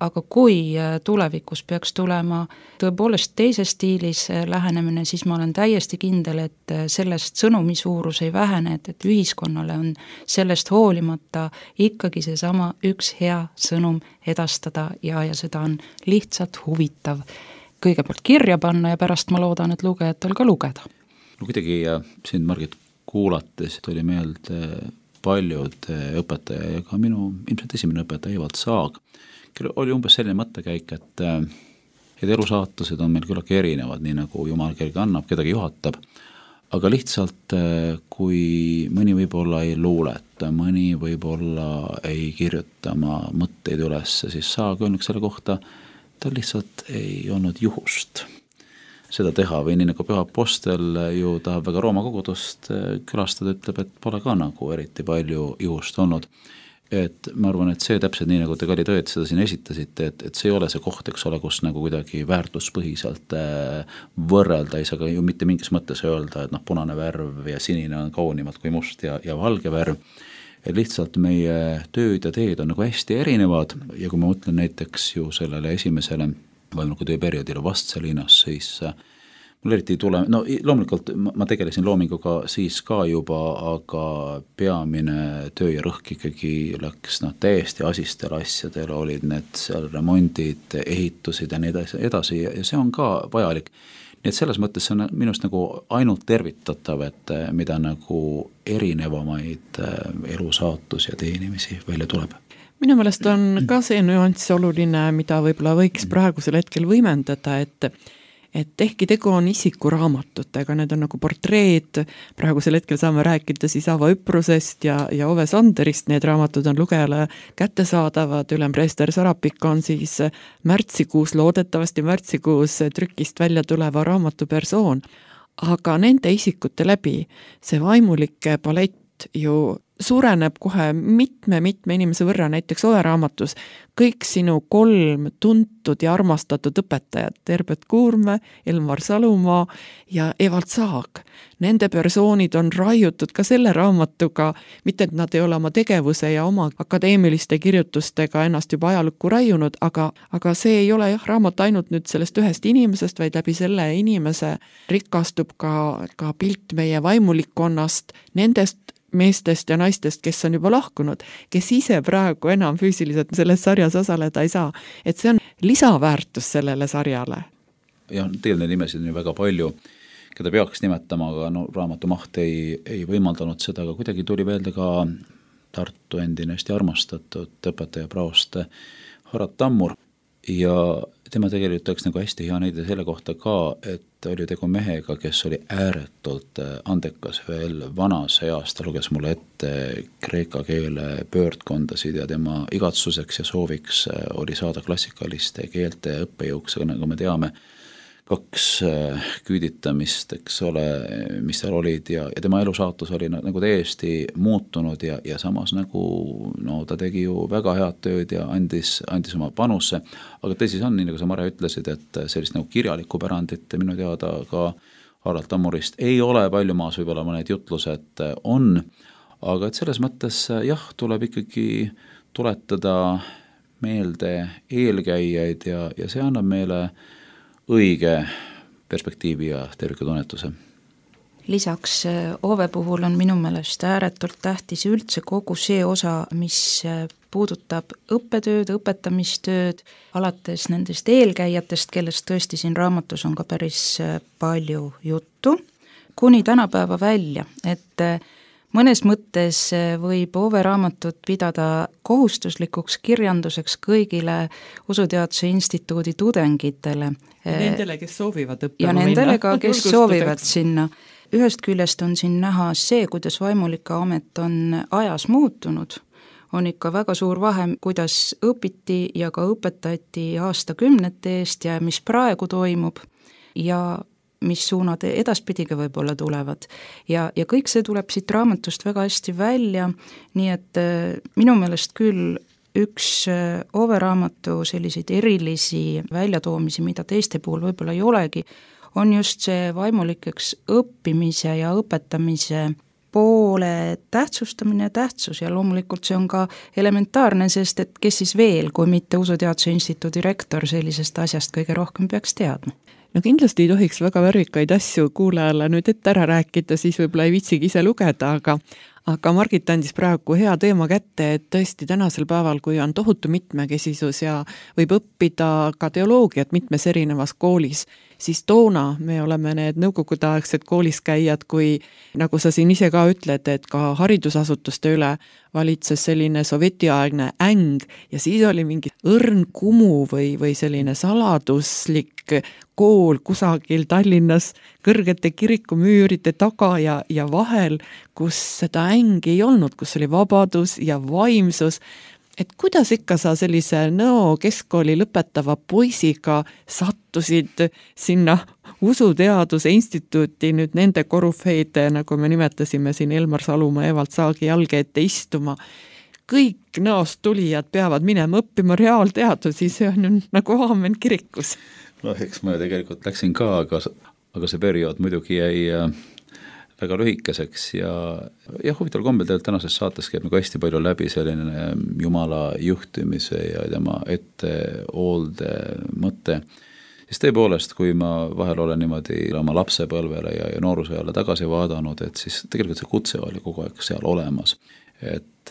S3: Aga kui tulevikus peaks tulema tõepoolest teises stiilis lähenemine, siis ma olen täiesti kindel, et sellest sõnumi suurus ei vähene, et, et ühiskonnale on sellest hoolimata ikkagi see sama üks hea sõnum edastada ja, ja seda on lihtsalt huvitav kõigepealt kirja panna ja pärast ma loodan, et lugejatel ka lugeda.
S2: No kuidagi sind, Margit, kuulates tuli meelde paljud õpetaja ja ka minu ilmselt esimene õpetaja Evald Saag, oli umbes selline mõttekäik, et, et elusaatused on meil küllagi erinevad, nii nagu Jumal kelgi annab, kedagi juhatab, aga lihtsalt kui mõni võib-olla ei luuleta, mõni võib-olla ei kirjuta oma mõtteid üles, siis Saag öelnud selle kohta, tal lihtsalt ei olnud juhust. seda teha või nii nagu Püha Apostel ju tahab väga Rooma kogudust külastada, ütleb, et pole ka nagu eriti palju juhust olnud. Et ma arvan, et see täpselt nii, nagu te Kali Tõed seda siin esitasite, et, et see ei ole see koht, eks ole, kus nagu kuidagi väärtuspõhiselt võrrelda, ei saa ka ju mitte mingis mõttes öelda, et noh, punane värv ja sinine on kaunimad kui must ja, ja valge värv. Et lihtsalt meie tööd ja teed on nagu hästi erinevad ja kui ma mõtlen näiteks ju sellele esimesele vaimliku töö perioodile Vastseliinas, siis mul eriti ei tule, no loomulikult ma tegelesin loominguga siis ka juba, aga peamine töö ja rõhk ikkagi läks noh, täiesti asistel asjadel, olid need seal remondid, ehitusid ja nii edasi ja see on ka vajalik. Nii et selles mõttes see on minust nagu ainult tervitatav, et mida nagu erinevamaid elusaatusi ja teenimisi välja tuleb.
S1: Minu meelest on ka see nüanss oluline, mida võib-olla võiks praegusel hetkel võimendada, et et ehkki tegu on isikuraamatutega, need on nagu portreed, praegusel hetkel saame rääkida siis Avo Üprusest ja, ja Ove Sanderist, need raamatud on lugejale kättesaadavad, ülempreester Sarapik on siis märtsikuus, loodetavasti märtsikuus trükist välja tuleva raamatu persoon, aga nende isikute läbi see vaimulike palett ju suureneb kohe mitme-mitme inimese võrra, näiteks Ove raamatus kõik sinu kolm tuntud ja armastatud õpetajad, Herbert Kuurme, Elmar Salumaa ja Evald Saag. Nende persoonid on raiutud ka selle raamatuga, mitte et nad ei ole oma tegevuse ja oma akadeemiliste kirjutustega ennast juba ajalukku raiunud, aga, aga see ei ole jah, raamat ainult nüüd sellest ühest inimesest, vaid läbi selle inimese rikastub ka, ka pilt meie vaimulikkonnast, nendest meestest ja naistest, kes on juba lahkunud, kes ise praegu enam füüsiliselt selles sarjas osaleda ei saa. Et see on lisaväärtus sellele sarjale.
S2: Ja tegelikult neid nimesid on ju väga palju, keda peaks nimetama, aga no, raamatu maht ei, ei võimaldanud seda, aga kuidagi tuli veelde ka Tartu endine hästi armastatud õpetaja praost Harald Tammur ja tema tegelikult oleks nagu hästi hea näide selle kohta ka, et oli tegu mehega, kes oli ääretult andekas veel vanas eas, ta luges mulle ette kreeka keele pöördkondasid ja tema igatsuseks ja sooviks oli saada klassikaliste keelte õppejõuks, aga nagu me teame, kaks küüditamist, eks ole, mis seal olid ja, ja tema elusaatus oli nagu täiesti muutunud ja, ja samas nagu no, ta tegi ju väga head tööd ja andis, andis oma panusse, aga tõsi on, nii nagu sa Mare ütlesid, et sellist nagu kirjalikku pärandit minu teada ka Harald Tammurist ei ole palju maas, võib-olla mõned jutlused on, aga et selles mõttes jah, tuleb ikkagi tuletada meelde eelkäijaid ja, ja see annab meile õige perspektiivi ja tervikutunnetuse.
S3: Lisaks Ove puhul on minu meelest ääretult tähtis üldse kogu see osa, mis puudutab õppetööd, õpetamistööd, alates nendest eelkäijatest, kellest tõesti siin raamatus on ka päris palju juttu, kuni tänapäeva välja, et mõnes mõttes võib Ove raamatut pidada kohustuslikuks kirjanduseks kõigile Usuteaduse Instituudi tudengitele.
S1: Nendele, kes soovivad õppima
S3: ja nendele ka, kes soovivad sinna. Ühest küljest on siin näha see, kuidas vaimulike amet on ajas muutunud. On ikka väga suur vahe, kuidas õpiti ja ka õpetati aastakümnete eest ja mis praegu toimub ja mis suunad edaspidiga võib-olla tulevad. Ja, ja kõik see tuleb siit raamatust väga hästi välja, nii et minu meelest küll üks Ove raamatu selliseid erilisi väljatoomisi, mida teiste puhul võib-olla ei olegi, on just see vaimulikeks õppimise ja õpetamise poole tähtsustamine ja tähtsus ja loomulikult see on ka elementaarne, sest et kes siis veel, kui mitte Usuteaduse Instituudi rektor sellisest asjast kõige rohkem peaks teadma.
S1: No kindlasti ei tohiks väga värvikaid asju kuulajale nüüd ette ära rääkida, siis võib-olla ei viitsigi ise lugeda, aga aga Margit andis praegu hea teema kätte, et tõesti tänasel päeval, kui on tohutu mitmekesisus ja võib õppida ka teoloogiat mitmes erinevas koolis, siis toona me oleme need nõukogudeaegsed kooliskäijad, kui nagu sa siin ise ka ütled, et ka haridusasutuste üle valitses selline sovjetiaegne äng ja siis oli mingi õrn kumu või, või selline saladuslik kool kusagil Tallinnas kõrgete kirikumüüride taga ja, ja vahel, kus seda ängi ei olnud, kus oli vabadus ja vaimsus et kuidas ikka sa sellise Nõo keskkooli lõpetava poisiga sattusid sinna usuteaduse instituuti nüüd nende korüfeide, nagu me nimetasime siin Elmar Salumaa, Evald Saagi jalge ette istuma. Kõik Nõost tulijad peavad minema õppima reaalteadusi, see on ju nagu aamen kirikus.
S2: No eks ma tegelikult läksin ka, aga, aga see periood muidugi jäi väga lühikeseks ja, ja huvitaval kombel tegelikult tänases saates käib nagu hästi palju läbi selline Jumala juhtimise ja tema ettehoolde mõte. Siis tõepoolest, kui ma vahel olen niimoodi oma lapsepõlvele ja, ja noorusajale tagasi vaadanud, et siis tegelikult see kutse oli kogu aeg seal olemas. Et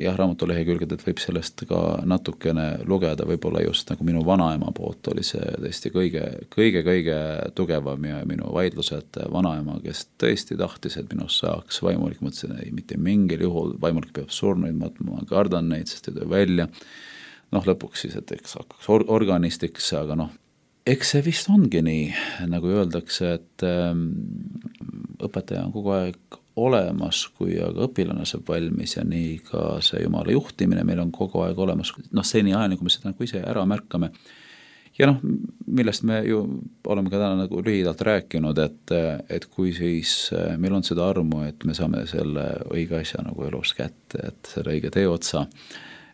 S2: jah, raamatu lehekülgedelt võib sellest ka natukene lugeda, võib-olla just nagu minu vanaema poolt oli see tõesti kõige, kõige, kõige tugevam ja minu vaidlused vanaema, kes tõesti tahtis, et minust saaks vaimulik, mõtlesin, ei, mitte mingil juhul vaimulik peab surnuid, ma, ma kardan neid, sest ei töö välja. Noh, lõpuks siis, et eks hakkaks or- organistiks, aga noh, eks see vist ongi nii, nagu öeldakse, et ähm, õpetaja on kogu aeg olemas, kui aga õpilane saab valmis ja nii ka see Jumala juhtimine meil on kogu aeg olemas, noh seni ajani, kui me seda nagu ise ära märkame. Ja noh, millest me ju oleme ka täna nagu lühidalt rääkinud, et, et kui siis meil on seda armu, et me saame selle õige asja nagu elus kätte, et selle õige tee otsa,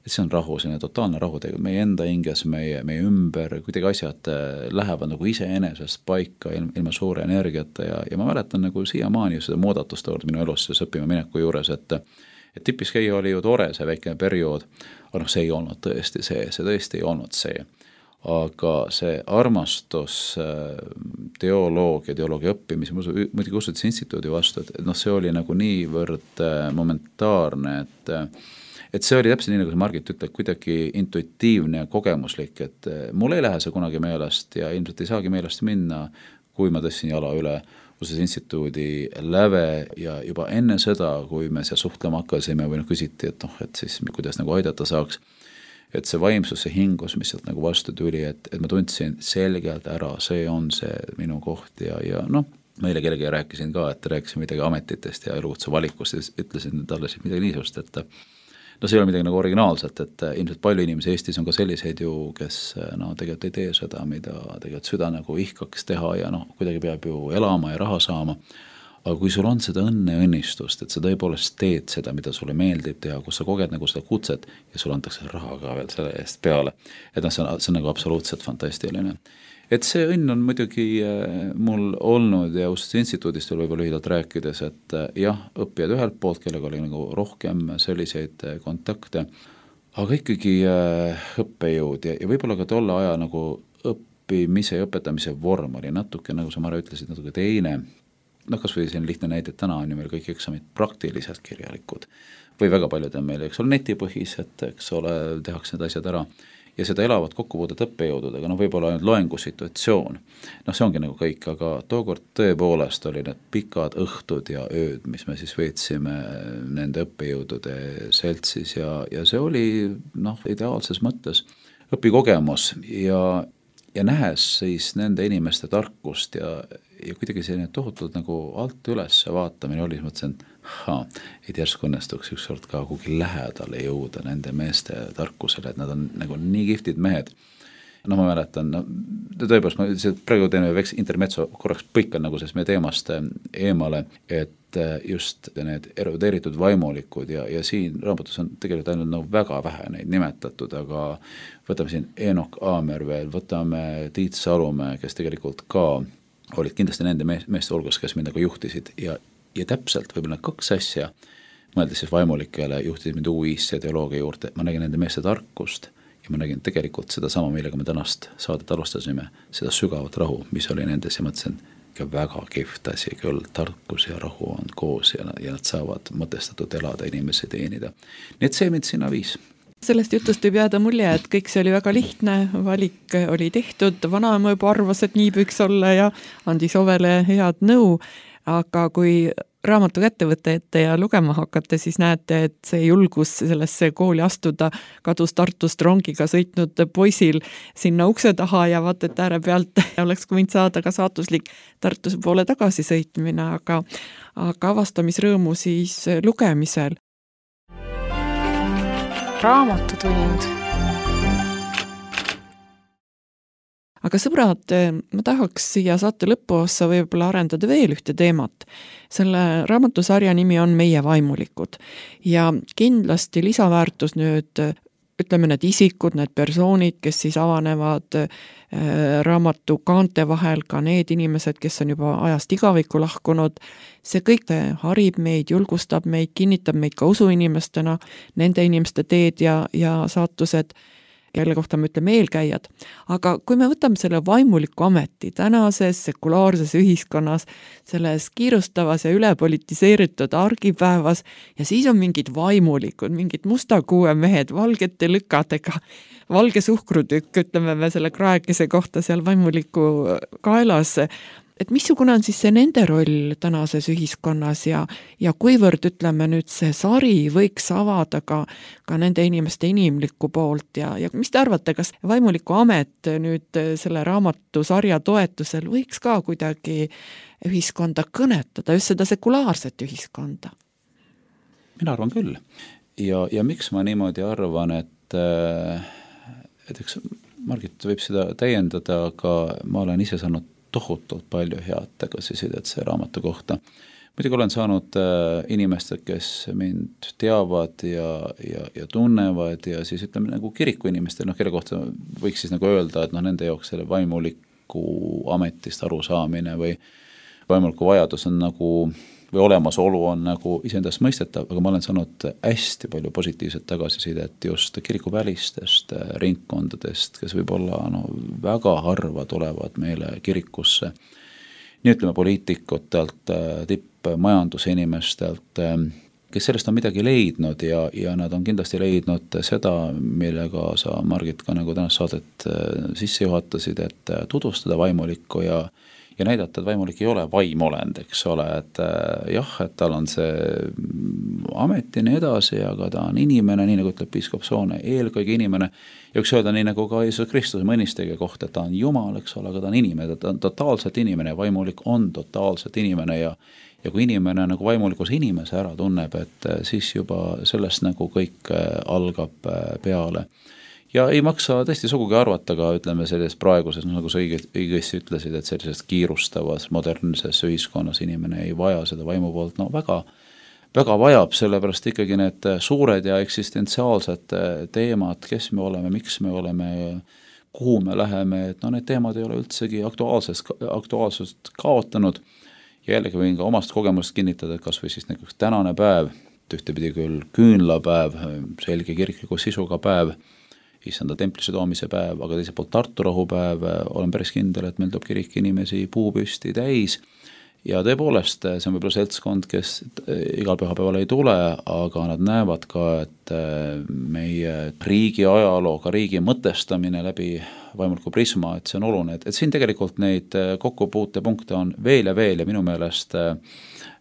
S2: et see on rahu, selline totaalne rahu, tegelikult meie enda hinges, meie, meie ümber, kuidagi asjad lähevad nagu iseenesest paika ilma suure energiata ja, ja ma mäletan nagu siiamaani seda muudatust olnud minu elus selles õppima mineku juures, et, et tipis käia oli ju tore see väike periood, aga noh, see ei olnud tõesti see, see tõesti ei olnud see. Aga see armastus teoloogia, teoloogia õppimise, muidugi usutise instituudi vastu, et noh, see oli nagu niivõrd momentaarne, et et see oli täpselt nii, nagu see Margit ütleb, kuidagi intuitiivne ja kogemuslik, et mul ei lähe see kunagi meelest ja ilmselt ei saagi meelest minna, kui ma tõstsin jala üle Usutise instituudi läve ja juba enne seda, kui me seal suhtlema hakkasime või noh küsiti, et noh, et siis kuidas nagu aidata saaks, et see vaimsus, see hingus, mis sealt nagu vastu tuli, et, et ma tundsin selgelt ära, see on see minu koht ja, ja noh, meile kellegi rääkisin ka, et rääkisin midagi ametitest ja elukutse valikust ja ütlesin talle siis midagi niisust, et no see ei ole midagi nagu originaalset, et ilmselt palju inimesi Eestis on ka selliseid ju, kes no tegelikult ei tee seda, mida tegelikult süda nagu ihkaks teha ja noh, kuidagi peab ju elama ja raha saama. Aga kui sul on seda õnne ja õnnistust, et sa tõepoolest teed seda, mida sulle meeldib teha, kus sa koged nagu seda kutset ja sul antakse raha ka veel selle eest peale. Et noh, see on, see on nagu absoluutselt fantastiline. Et see õnn on muidugi mul olnud ja Usutise instituudist veel võib-olla lühidalt rääkides, et jah, õppijad ühelt poolt, kellega oli nagu rohkem selliseid kontakte, aga ikkagi õppejõud ja, ja võib-olla ka tolle aja nagu õppimise ja õpetamise vorm oli natuke, nagu sa Mare ütlesid, natuke teine. Noh, kas või selline lihtne näide, et täna on ju meil kõik eksamid praktiliselt kirjalikud või väga paljud on meil, eks ole, netipõhised, eks ole, tehakse need asjad ära. Ja seda elavad kokkupuudet õppejõududega, no võib-olla ainult loengusituatsioon. Noh, see ongi nagu kõik, aga tookord tõepoolest oli need pikad õhtud ja ööd, mis me siis veetsime nende õppejõudude seltsis ja, ja see oli noh, ideaalses mõttes õpikogemus ja, ja nähes siis nende inimeste tarkust ja, ja kuidagi selline tohutult nagu alt üles vaatamine oli, mõtlesin, ha, et järsku õnnestuks ükskord ka kuhugi lähedale jõuda nende meeste tarkusele, et nad on nagu nii kihvtid mehed. No ma mäletan, no, tõepoolest, ma praegu teen veks intermetso korraks põikan nagu sellest meie teemast eemale, et just need erudeeritud vaimulikud ja, ja siin raamatus on tegelikult ainult nagu väga vähe neid nimetatud, aga võtame siin Eenok Aamer veel, võtame Tiit Salumäe, kes tegelikult ka olid kindlasti nende meeste hulgas, kes mind nagu juhtisid ja Ja täpselt võib-olla kaks asja, mõeldes siis vaimulikele, juhtisid mind U I-sse ja teoloogia juurde, ma nägin nende meeste tarkust ja ma nägin tegelikult seda sama, millega me tänast saadet alustasime, seda sügavat rahu, mis oli nendes ja mõtlesin, ikka väga kihvt asi küll, tarkus ja rahu on koos ja, ja nad saavad mõtestatud elada, inimesi teenida. Nii et see mind sinna viis.
S1: Sellest jutust võib jääda mulje, et kõik see oli väga lihtne, valik oli tehtud, vanaema juba arvas, et nii võiks olla ja andis Ovele head nõu. Aga kui raamatu kätte võtta ette ja lugema hakata, siis näete, et see julgus sellesse kooli astuda kadus Tartust rongiga sõitnud poisil sinna ukse taha ja vaata, et ääre pealt oleks võinud saada ka saatuslik Tartuse poole tagasi sõitmine, aga, aga avastamisrõõmu siis lugemisel.
S4: raamatutund.
S1: Aga sõbrad, ma tahaks siia saate lõpuossa võib-olla arendada veel ühte teemat. Selle raamatusarja nimi on Meie vaimulikud ja kindlasti lisaväärtus nüüd, ütleme need isikud, need persoonid, kes siis avanevad raamatu kaante vahel, ka need inimesed, kes on juba ajast igavikku lahkunud, see kõik harib meid, julgustab meid, kinnitab meid ka usuinimestena, nende inimeste teed ja, ja saatused, kelle kohta me ütleme eelkäijad. Aga kui me võtame selle vaimuliku ameti tänases sekulaarses ühiskonnas, selles kiirustavas ja ülepolitiseeritud argipäevas ja siis on mingid vaimulikud, mingid mustakuue mehed, valgete lükadega, valge suhkrutükk, ütleme me selle kraekese kohta seal vaimuliku kaelas, et missugune on siis see nende roll tänases ühiskonnas ja, ja kuivõrd, ütleme nüüd, see sari võiks avada ka, ka nende inimeste inimlikku poolt ja, ja mis te arvate, kas vaimuliku amet nüüd selle raamatusarja toetusel võiks ka kuidagi ühiskonda kõnetada, just seda sekulaarset ühiskonda?
S2: Mina arvan küll. Ja, ja miks ma niimoodi arvan, et, et eks Margit võib seda täiendada, aga ma olen ise saanud tohutult palju head tagasisidet see raamatu kohta. Muidugi olen saanud äh, inimesed, kes mind teavad ja, ja, ja tunnevad ja siis ütleme nagu kiriku inimestel, noh, kelle kohta võiks siis nagu öelda, et noh, nende jaoks selle vaimuliku ametist arusaamine või vaimuliku vajadus on nagu või olemasolu on nagu iseendast mõistetav, aga ma olen saanud hästi palju positiivset tagasisidet just kirikuvälistest ringkondadest, kes võib-olla no, väga harva tulevad meile kirikusse. Nii ütleme poliitikutelt, tippmajandusinimestelt, kes sellest on midagi leidnud ja, ja nad on kindlasti leidnud seda, millega sa, Margit, ka nagu tänast saadet sisse juhatasid, et tutvustada vaimulikku ja ja näidata, et vaimulik ei ole vaimolend, eks ole, et jah, et tal on see ametini edasi, aga ta on inimene, nii nagu ütleb piiskop Soone, eelkõige inimene, ja üks öelda nii nagu ka Jeesus Kristuse mõnistega kohta, et ta on Jumal, eks ole, aga ta on inimene, ta on totaalselt inimene, vaimulik on totaalselt inimene ja ja kui inimene nagu vaimulikus inimese ära tunneb, et siis juba sellest nagu kõik algab peale. Ja ei maksa tõesti sugugi arvata ka, ütleme, selles praeguses, nagu sa õigesti ütlesid, et sellises kiirustavas, modernses ühiskonnas inimene ei vaja seda vaimu poolt, no väga, väga vajab, sellepärast ikkagi need suured ja eksistentsiaalsed teemad, kes me oleme, miks me oleme, kuhu me läheme, et no need teemad ei ole üldsegi aktuaalsest, aktuaalsust kaotanud ja jällegi võin ka omast kogemust kinnitada, et kas või siis näiteks tänane päev, ühtepidi küll küünlapäev, selge kirikliku sisuga päev, issanda templisse toomise päev, aga teiselt poolt Tartu rahupäev, olen päris kindel, et meil toob kirik inimesi puupüsti täis ja tõepoolest see on võib-olla seltskond, kes igal pühapäeval ei tule, aga nad näevad ka, et meie riigi ajaloo, ka riigi mõtestamine läbi vaimuliku prisma, et see on oluline, et, et siin tegelikult neid kokkupuutepunkte on veel ja veel ja minu meelest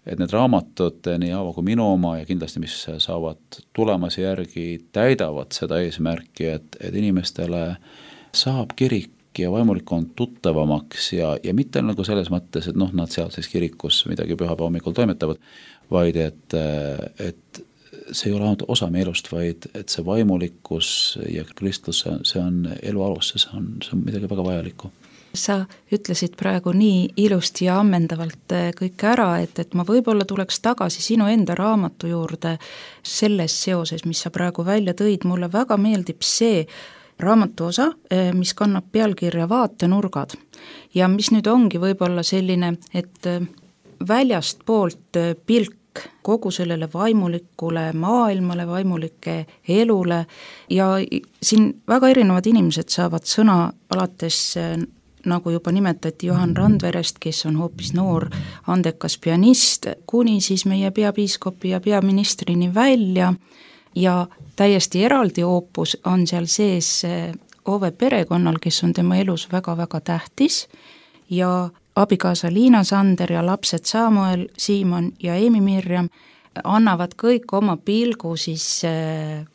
S2: et need raamatud, nii Aavo kui minu oma ja kindlasti, mis saavad tulemasi järgi, täidavad seda eesmärki, et, et inimestele saab kirik ja vaimulik on tuttavamaks ja, ja mitte nagu selles mõttes, et noh, nad seal siis kirikus midagi pühapäeva hommikul toimetavad, vaid et, et see ei ole ainult osa meie elust, vaid et see vaimulikkus ja Kristus, see on elu alus, see on, see on midagi väga vajalikku.
S3: Sa ütlesid praegu nii ilusti ja ammendavalt kõik ära, et, et ma võib-olla tuleks tagasi sinu enda raamatu juurde selles seoses, mis sa praegu välja tõid. Mulle väga meeldib see raamatu osa, mis kannab pealkirja Vaatenurgad ja mis nüüd ongi võib-olla selline, et väljast poolt pilk kogu sellele vaimulikule maailmale, vaimulike elule ja siin väga erinevad inimesed saavad sõna alates nagu juba nimetati Johan Randverest, kes on hoopis noor andekas pianist, kuni siis meie peapiiskopi ja peaministrini välja ja täiesti eraldi oopus on seal sees Ove perekonnal, kes on tema elus väga-väga tähtis ja abikaasa Liina Sander ja lapsed Samuel, Siimon ja Eemi Mirjam annavad kõik oma pilgu siis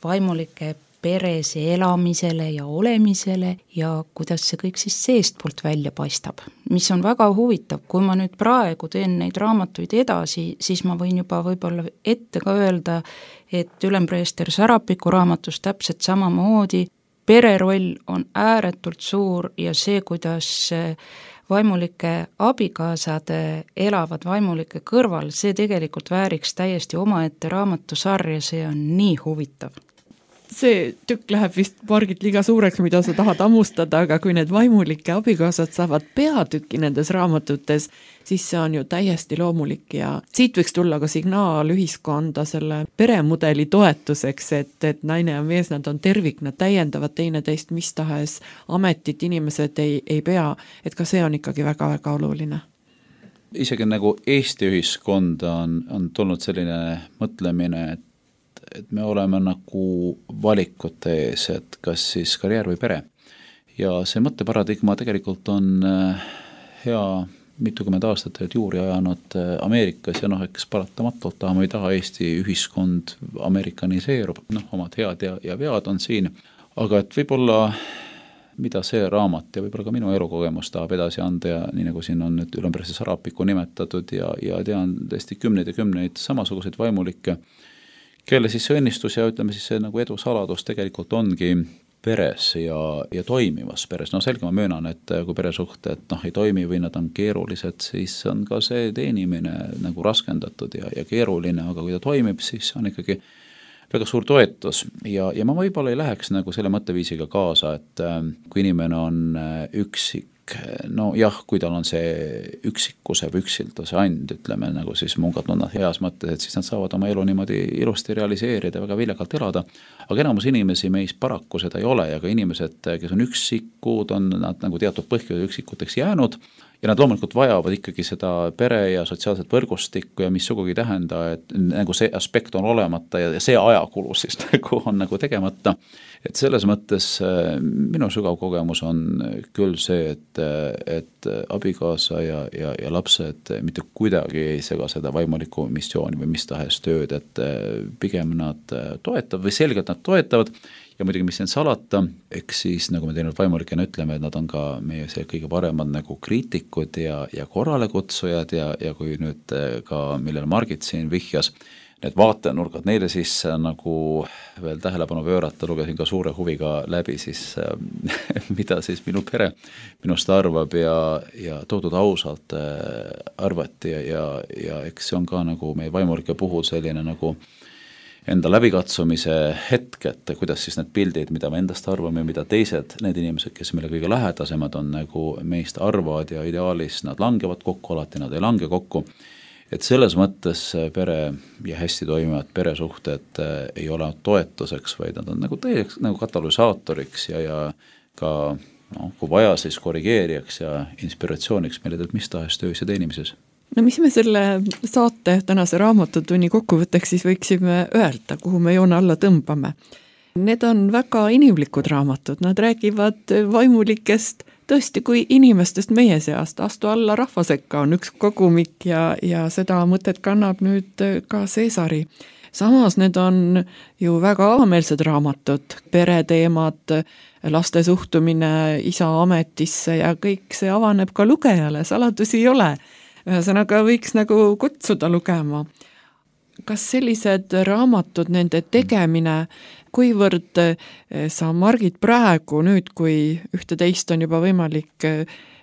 S3: vaimulike peres elamisele ja olemisele ja kuidas see kõik siis seestpoolt välja paistab. Mis on väga huvitav, kui ma nüüd praegu teen neid raamatuid edasi, siis ma võin juba võib-olla ette ka öelda, et ülempreester Sarapiku raamatus täpselt samamoodi pereroll on ääretult suur ja see, kuidas vaimulike abikaasad elavad vaimulike kõrval, see tegelikult vääriks täiesti omaette raamatusarja, see on nii huvitav.
S1: See tükk läheb vist Margit liiga suureks, mida sa tahad ammustada, aga kui need vaimulike abikaasad saavad peatüki nendes raamatutes, siis see on ju täiesti loomulik ja siit võiks tulla ka signaal ühiskonda selle peremudeli toetuseks, et, et naine ja mees, nad on tervik, nad täiendavad teineteist, mis tahes ametit inimesed ei, ei pea, et ka see on ikkagi väga-väga oluline.
S2: Isegi nagu Eesti ühiskonda on, on tulnud selline mõtlemine, et et me oleme nagu valikute ees, et kas siis karjäär või pere. Ja see mõtteparadigma tegelikult on hea mitukümmend aastat juuri ajanud Ameerikas ja noh, eks paratamatult tahame või taha Eesti ühiskond amerikaniseerub, noh, omad head ja, ja vead on siin, aga et võib-olla mida see raamat ja võib-olla ka minu elukogemus tahab edasi anda ja nii nagu siin on nüüd ülempreester Sarapiku nimetatud ja, ja tean tõesti kümneid ja kümneid samasuguseid vaimulikke, kelle siis see õnnistus ja ütleme siis see nagu edu saladus tegelikult ongi peres ja, ja toimivas peres. No selge ma möönan, et kui peresuhted noh, ei toimi või nad on keerulised, siis on ka see teenimine nagu raskendatud ja, ja keeruline, aga kui ta toimib, siis on ikkagi väga suur toetus ja, ja ma võib-olla ei läheks nagu selle mõtteviisiga kaasa, et kui inimene on üksik, no jah, kui tal on see üksikuse või üksilduse and, ütleme nagu siis mungad nunnad heas mõttes, et siis nad saavad oma elu niimoodi ilusti realiseerida, väga viljakalt elada, aga enamus inimesi meis paraku seda ei ole ja ka inimesed, kes on üksikud, on nad nagu teatud põhjusel üksikuteks jäänud ja nad loomulikult vajavad ikkagi seda pere ja sotsiaalset võrgustikku ja mis sugugi tähenda, et nagu see aspekt on olemata ja see ajakulu siis nagu on nagu tegemata. Et selles mõttes minu sügav kogemus on küll see, et, et abikaasa ja, ja, ja lapsed mitte kuidagi ei sega seda vaimulikku missiooni või mis tahes tööd, et pigem nad toetavad või selgelt nad toetavad ja muidugi mis need salata, eks siis nagu me teinud vaimulikena ütleme, et nad on ka meie see kõige paremad nagu kriitikud ja, ja korralekutsujad ja, ja kui nüüd ka, millele Margit siin vihjas, need vaatenurgad, neile siis nagu veel tähelepanu pöörata, lugesin ka suure huviga läbi siis, mida siis minu pere minust arvab ja, ja toodud ausalt arvati ja, ja, ja eks see on ka nagu meie vaimulike puhul selline nagu enda läbikatsumise hetk, et kuidas siis need pildid, mida me endast arvame, mida teised, need inimesed, kes meile kõige lähedasemad on nagu meist arvavad ja ideaalis nad langevad kokku, alati nad ei lange kokku. Et selles mõttes pere ja hästi toimivad peresuhted ei ole toetuseks, vaid nad on nagu täieks nagu katalüsaatoriks ja, ja ka no, kui vaja siis korrigeerijaks ja inspiratsiooniks meile teeb mis tahes töös ja teenimises.
S1: No mis me selle saate tänase raamatutunni kokkuvõtteks siis võiksime öelda, kuhu me joone alla tõmbame? Need on väga inimlikud raamatud, nad räägivad vaimulikest tõesti kui inimestest meie seast, Astu alla rahva sekka on üks kogumik ja, ja seda mõtet kannab nüüd ka Cäsari. Samas need on ju väga avameelsed raamatud, pereteemad, laste suhtumine isa ametisse ja kõik see avaneb ka lugejale, saladusi ei ole. Ühesõnaga võiks nagu kutsuda lugema. Kas sellised raamatud, nende tegemine, kuivõrd sa Margit praegu nüüd, kui ühte-teist on juba võimalik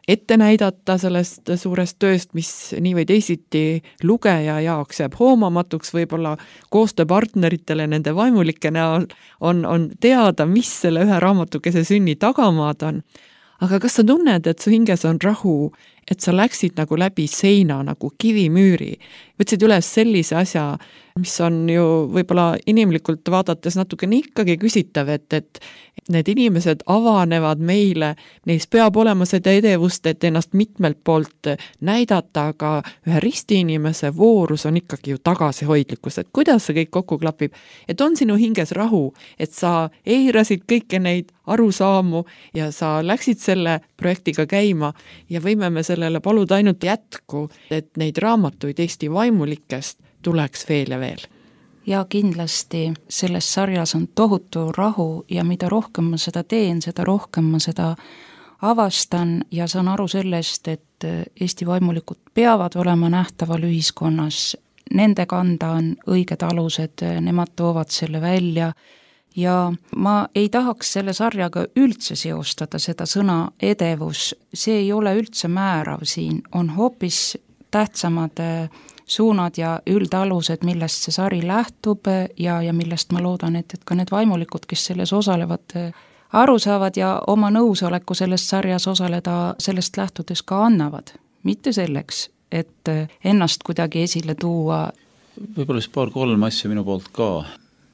S1: ette näidata sellest suurest tööst, mis nii või teisiti lugeja jaoks jääb hoomamatuks, võib-olla koostööpartneritele nende vaimulike näol on, on teada, mis selle ühe raamatukese sünni tagamaad on. Aga kas sa tunned, et su hinges on rahu, et sa läksid nagu läbi seina nagu kivimüüri, võtsid üles sellise asja, mis on ju võib-olla inimlikult vaadates natukene ikkagi küsitav, et, et need inimesed avanevad meile, neis peab olema seda edevust, et ennast mitmelt poolt näidata, aga ühe ristiinimese voorus on ikkagi ju tagasihoidlikkus, et kuidas see kõik kokku klapib, et on sinu hinges rahu, et sa eirasid kõiki neid arusaamu ja sa läksid selle projektiga käima ja võime me sellele paluda ainult jätku, et neid raamatuid Eesti vaimulikest tuleks veel ja veel.
S3: ja kindlasti selles sarjas on tohutu rahu ja mida rohkem ma seda teen, seda rohkem ma seda avastan ja saan aru sellest, et Eesti vaimulikud peavad olema nähtaval ühiskonnas, nende kanda on õiged alused, nemad toovad selle välja ja ma ei tahaks selle sarjaga üldse seostada seda sõna edevus, see ei ole üldse määrav siin, on hoopis tähtsamad suunad ja üldalused, millest see sari lähtub ja, ja millest ma loodan, et, et ka need vaimulikud, kes selles osalevad, aru saavad ja oma nõusoleku selles sarjas osaleda sellest lähtudes ka annavad. Mitte selleks, et ennast kuidagi esile tuua.
S2: Võib-olla siis paar-kolm asja minu poolt ka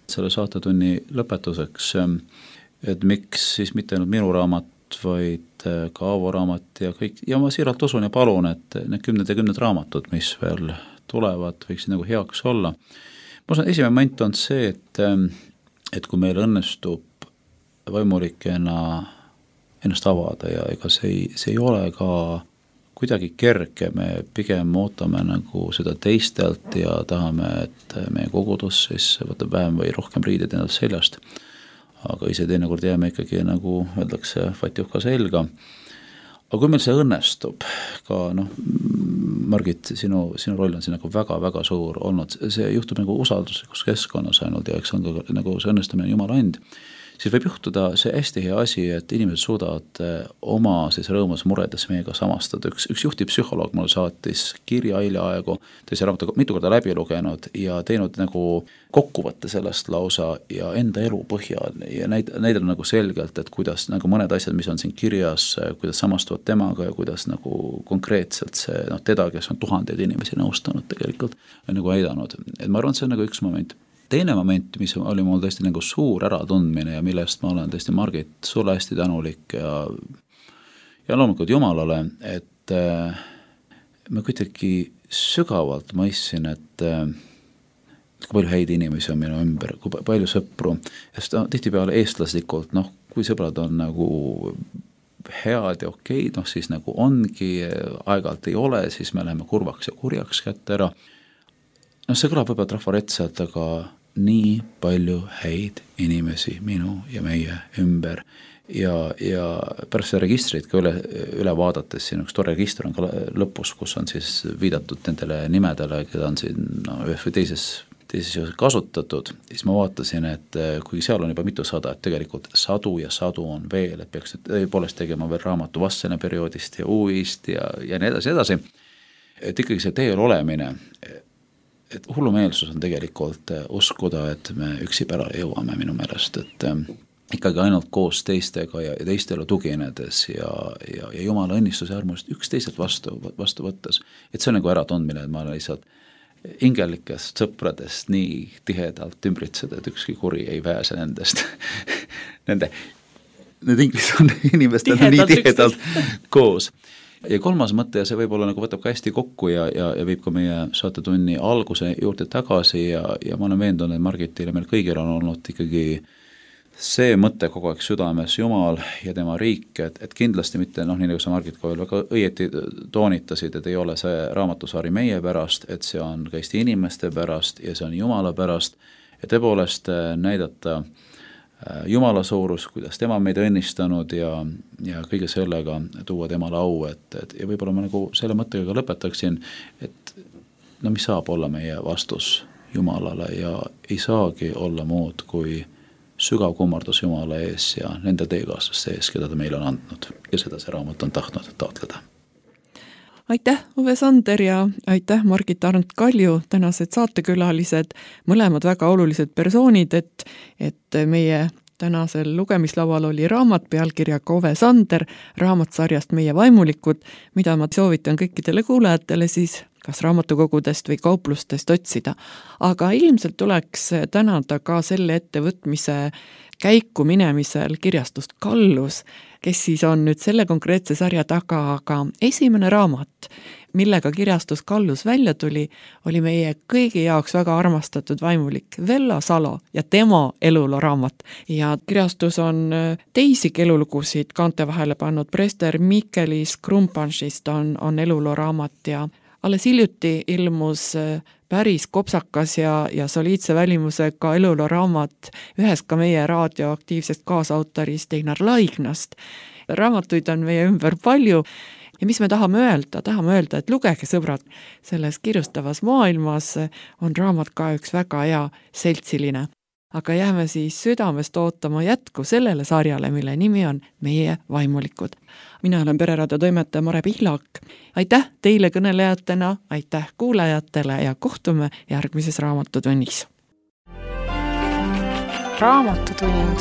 S2: selle saatetunni lõpetuseks, et miks siis mitte ainult minu raamat, vaid ka Aavo raamat ja kõik, ja ma siiralt usun ja palun, et need kümned ja kümned raamatud, mis veel tulevad, võiksid nagu heaks olla. Ma usun, esimene moment on see, et, et kui meil õnnestub vaimulikena ennast avada ja ega see ei, see ei ole ka kuidagi kerge, me pigem ootame nagu seda teistelt ja tahame, et meie kogudus siis võtab vähem või rohkem riided endalt seljast. Aga ise teinekord jääme ikkagi nagu öeldakse fatjuhka selga. Aga kui meil see õnnestub, ka noh, Margit, sinu, sinu roll on siin nagu väga-väga suur olnud, see juhtub nagu usalduslikus keskkonnas ainult ja eks on ka nagu see õnnestamine Jumala and, siis võib juhtuda see hästi hea asi, et inimesed suudavad oma siis rõõmus muredes meiega samastada. Üks, üks juhtiv psühholoog mul saatis kirja hiljaaegu, tõi see raamatu mitu korda läbi lugenud ja teinud nagu kokkuvõtte sellest lausa ja enda elu põhjal ja näid, näidel nagu selgelt, et kuidas nagu mõned asjad, mis on siin kirjas, kuidas samastuvad temaga ja kuidas nagu konkreetselt see, noh, teda, kes on tuhandeid inimesi nõustanud tegelikult, on nagu aidanud. Et ma arvan, see on nagu üks moment. Teine moment, mis oli mul tõesti nagu suur äratundmine ja millest ma olen tõesti, Margit, sulle hästi tänulik ja, ja loomulikult Jumalale, et äh, ma kuidagi sügavalt mõistsin, et äh, kui palju häid inimesi on minu ümber, kui palju sõpru, ja tihtipeale eestlaslikult, noh, kui sõbrad on nagu head ja okei, noh siis nagu ongi, aeg-ajalt ei ole, siis me läheme kurvaks ja kurjaks kätte ära. No see kõlab võib-olla trafaretsalt, aga nii palju häid inimesi minu ja meie ümber ja, ja pärast seda registrit ka üle, üle vaadates, siin üks tore register on ka lõpus, kus on siis viidatud nendele nimedele, keda on siin no, ühes või teises, teises kasutatud, siis ma vaatasin, et kuigi seal on juba mitu sada, et tegelikult sadu ja sadu on veel, et peaks tõepoolest tegema veel raamatu Vassene perioodist ja uuvist ja, ja nii edasi edasi, et ikkagi see teel olemine, et hullumeelsus on tegelikult uskuda, et me üksi pärale jõuame minu meelest, et ikkagi ainult koos teistega ja teistele tuginedes ja, ja, ja Jumala õnnistuse armust üksteiselt vastu, vastu võttes, et see on nagu äratundmine, et ma olen lihtsalt ingelikest sõpradest nii tihedalt ümbritseda, et ükski kuri ei pääse nendest. Nende, need inglis on inimestel tihedalt, nii tihedalt koos. Ja kolmas mõte, ja see võib-olla nagu võtab ka hästi kokku ja, ja, ja viib ka meie saatetunni alguse juurde tagasi ja, ja ma olen veendunud, et Margitile meil kõigil on olnud ikkagi see mõte kogu aeg südames, Jumal ja tema riik, et, et kindlasti mitte, noh, nii nagu sa Margit ka veel väga õieti toonitasid, et ei ole see raamatusari meie pärast, et see on ka Eesti inimeste pärast ja see on Jumala pärast ja tõepoolest näidata Jumala suurus, kuidas tema meid õnnistanud ja, ja kõige sellega tuua temale au, et, et ja võib-olla ma nagu selle mõttega ka lõpetaksin, et no mis saab olla meie vastus Jumalale ja ei saagi olla muud kui sügav kummardus Jumala ees ja nende teekaaslaste ees, keda ta meile on andnud ja seda see raamat on tahtnud taotleda.
S1: Aitäh, Ove Sander ja aitäh, Margit Arnt Kalju, tänased saatekülalised, mõlemad väga olulised persoonid, et, et meie tänasel lugemislaual oli raamat pealkirjaga Ove Sander, raamatsarjast Meie vaimulikud, mida ma soovitan kõikidele kuulajatele siis kas raamatukogudest või kauplustest otsida. Aga ilmselt tuleks tänada ka selle ettevõtmise käiku minemisel kirjastust Kallus, kes siis on nüüd selle konkreetse sarja taga, aga esimene raamat, millega kirjastus Kallus välja tuli, oli meie kõigi jaoks väga armastatud vaimulik Vello Salo ja tema eluloo raamat. Ja kirjastus on teisigi elulugusid kaante vahele pannud, Prester Mikelis Krumpanšist on, on eluloo raamat ja alles hiljuti ilmus päris kopsakas ja, ja soliidse välimusega eluloo raamat ühest ka meie raadioaktiivsest kaasautorist Einar Laignast. Raamatuid on meie ümber palju ja mis me tahame öelda? Tahame öelda, et lugege, sõbrad, selles kirustavas maailmas on raamat ka üks väga hea seltsiline. Aga jääme siis südamest ootama jätku sellele sarjale, mille nimi on Meie vaimulikud. Mina olen Pereraadio toimetaja Mare Pihlak. Aitäh teile kõnelejatena, aitäh kuulajatele ja kohtume järgmises raamatutunnis.
S3: Raamatutund.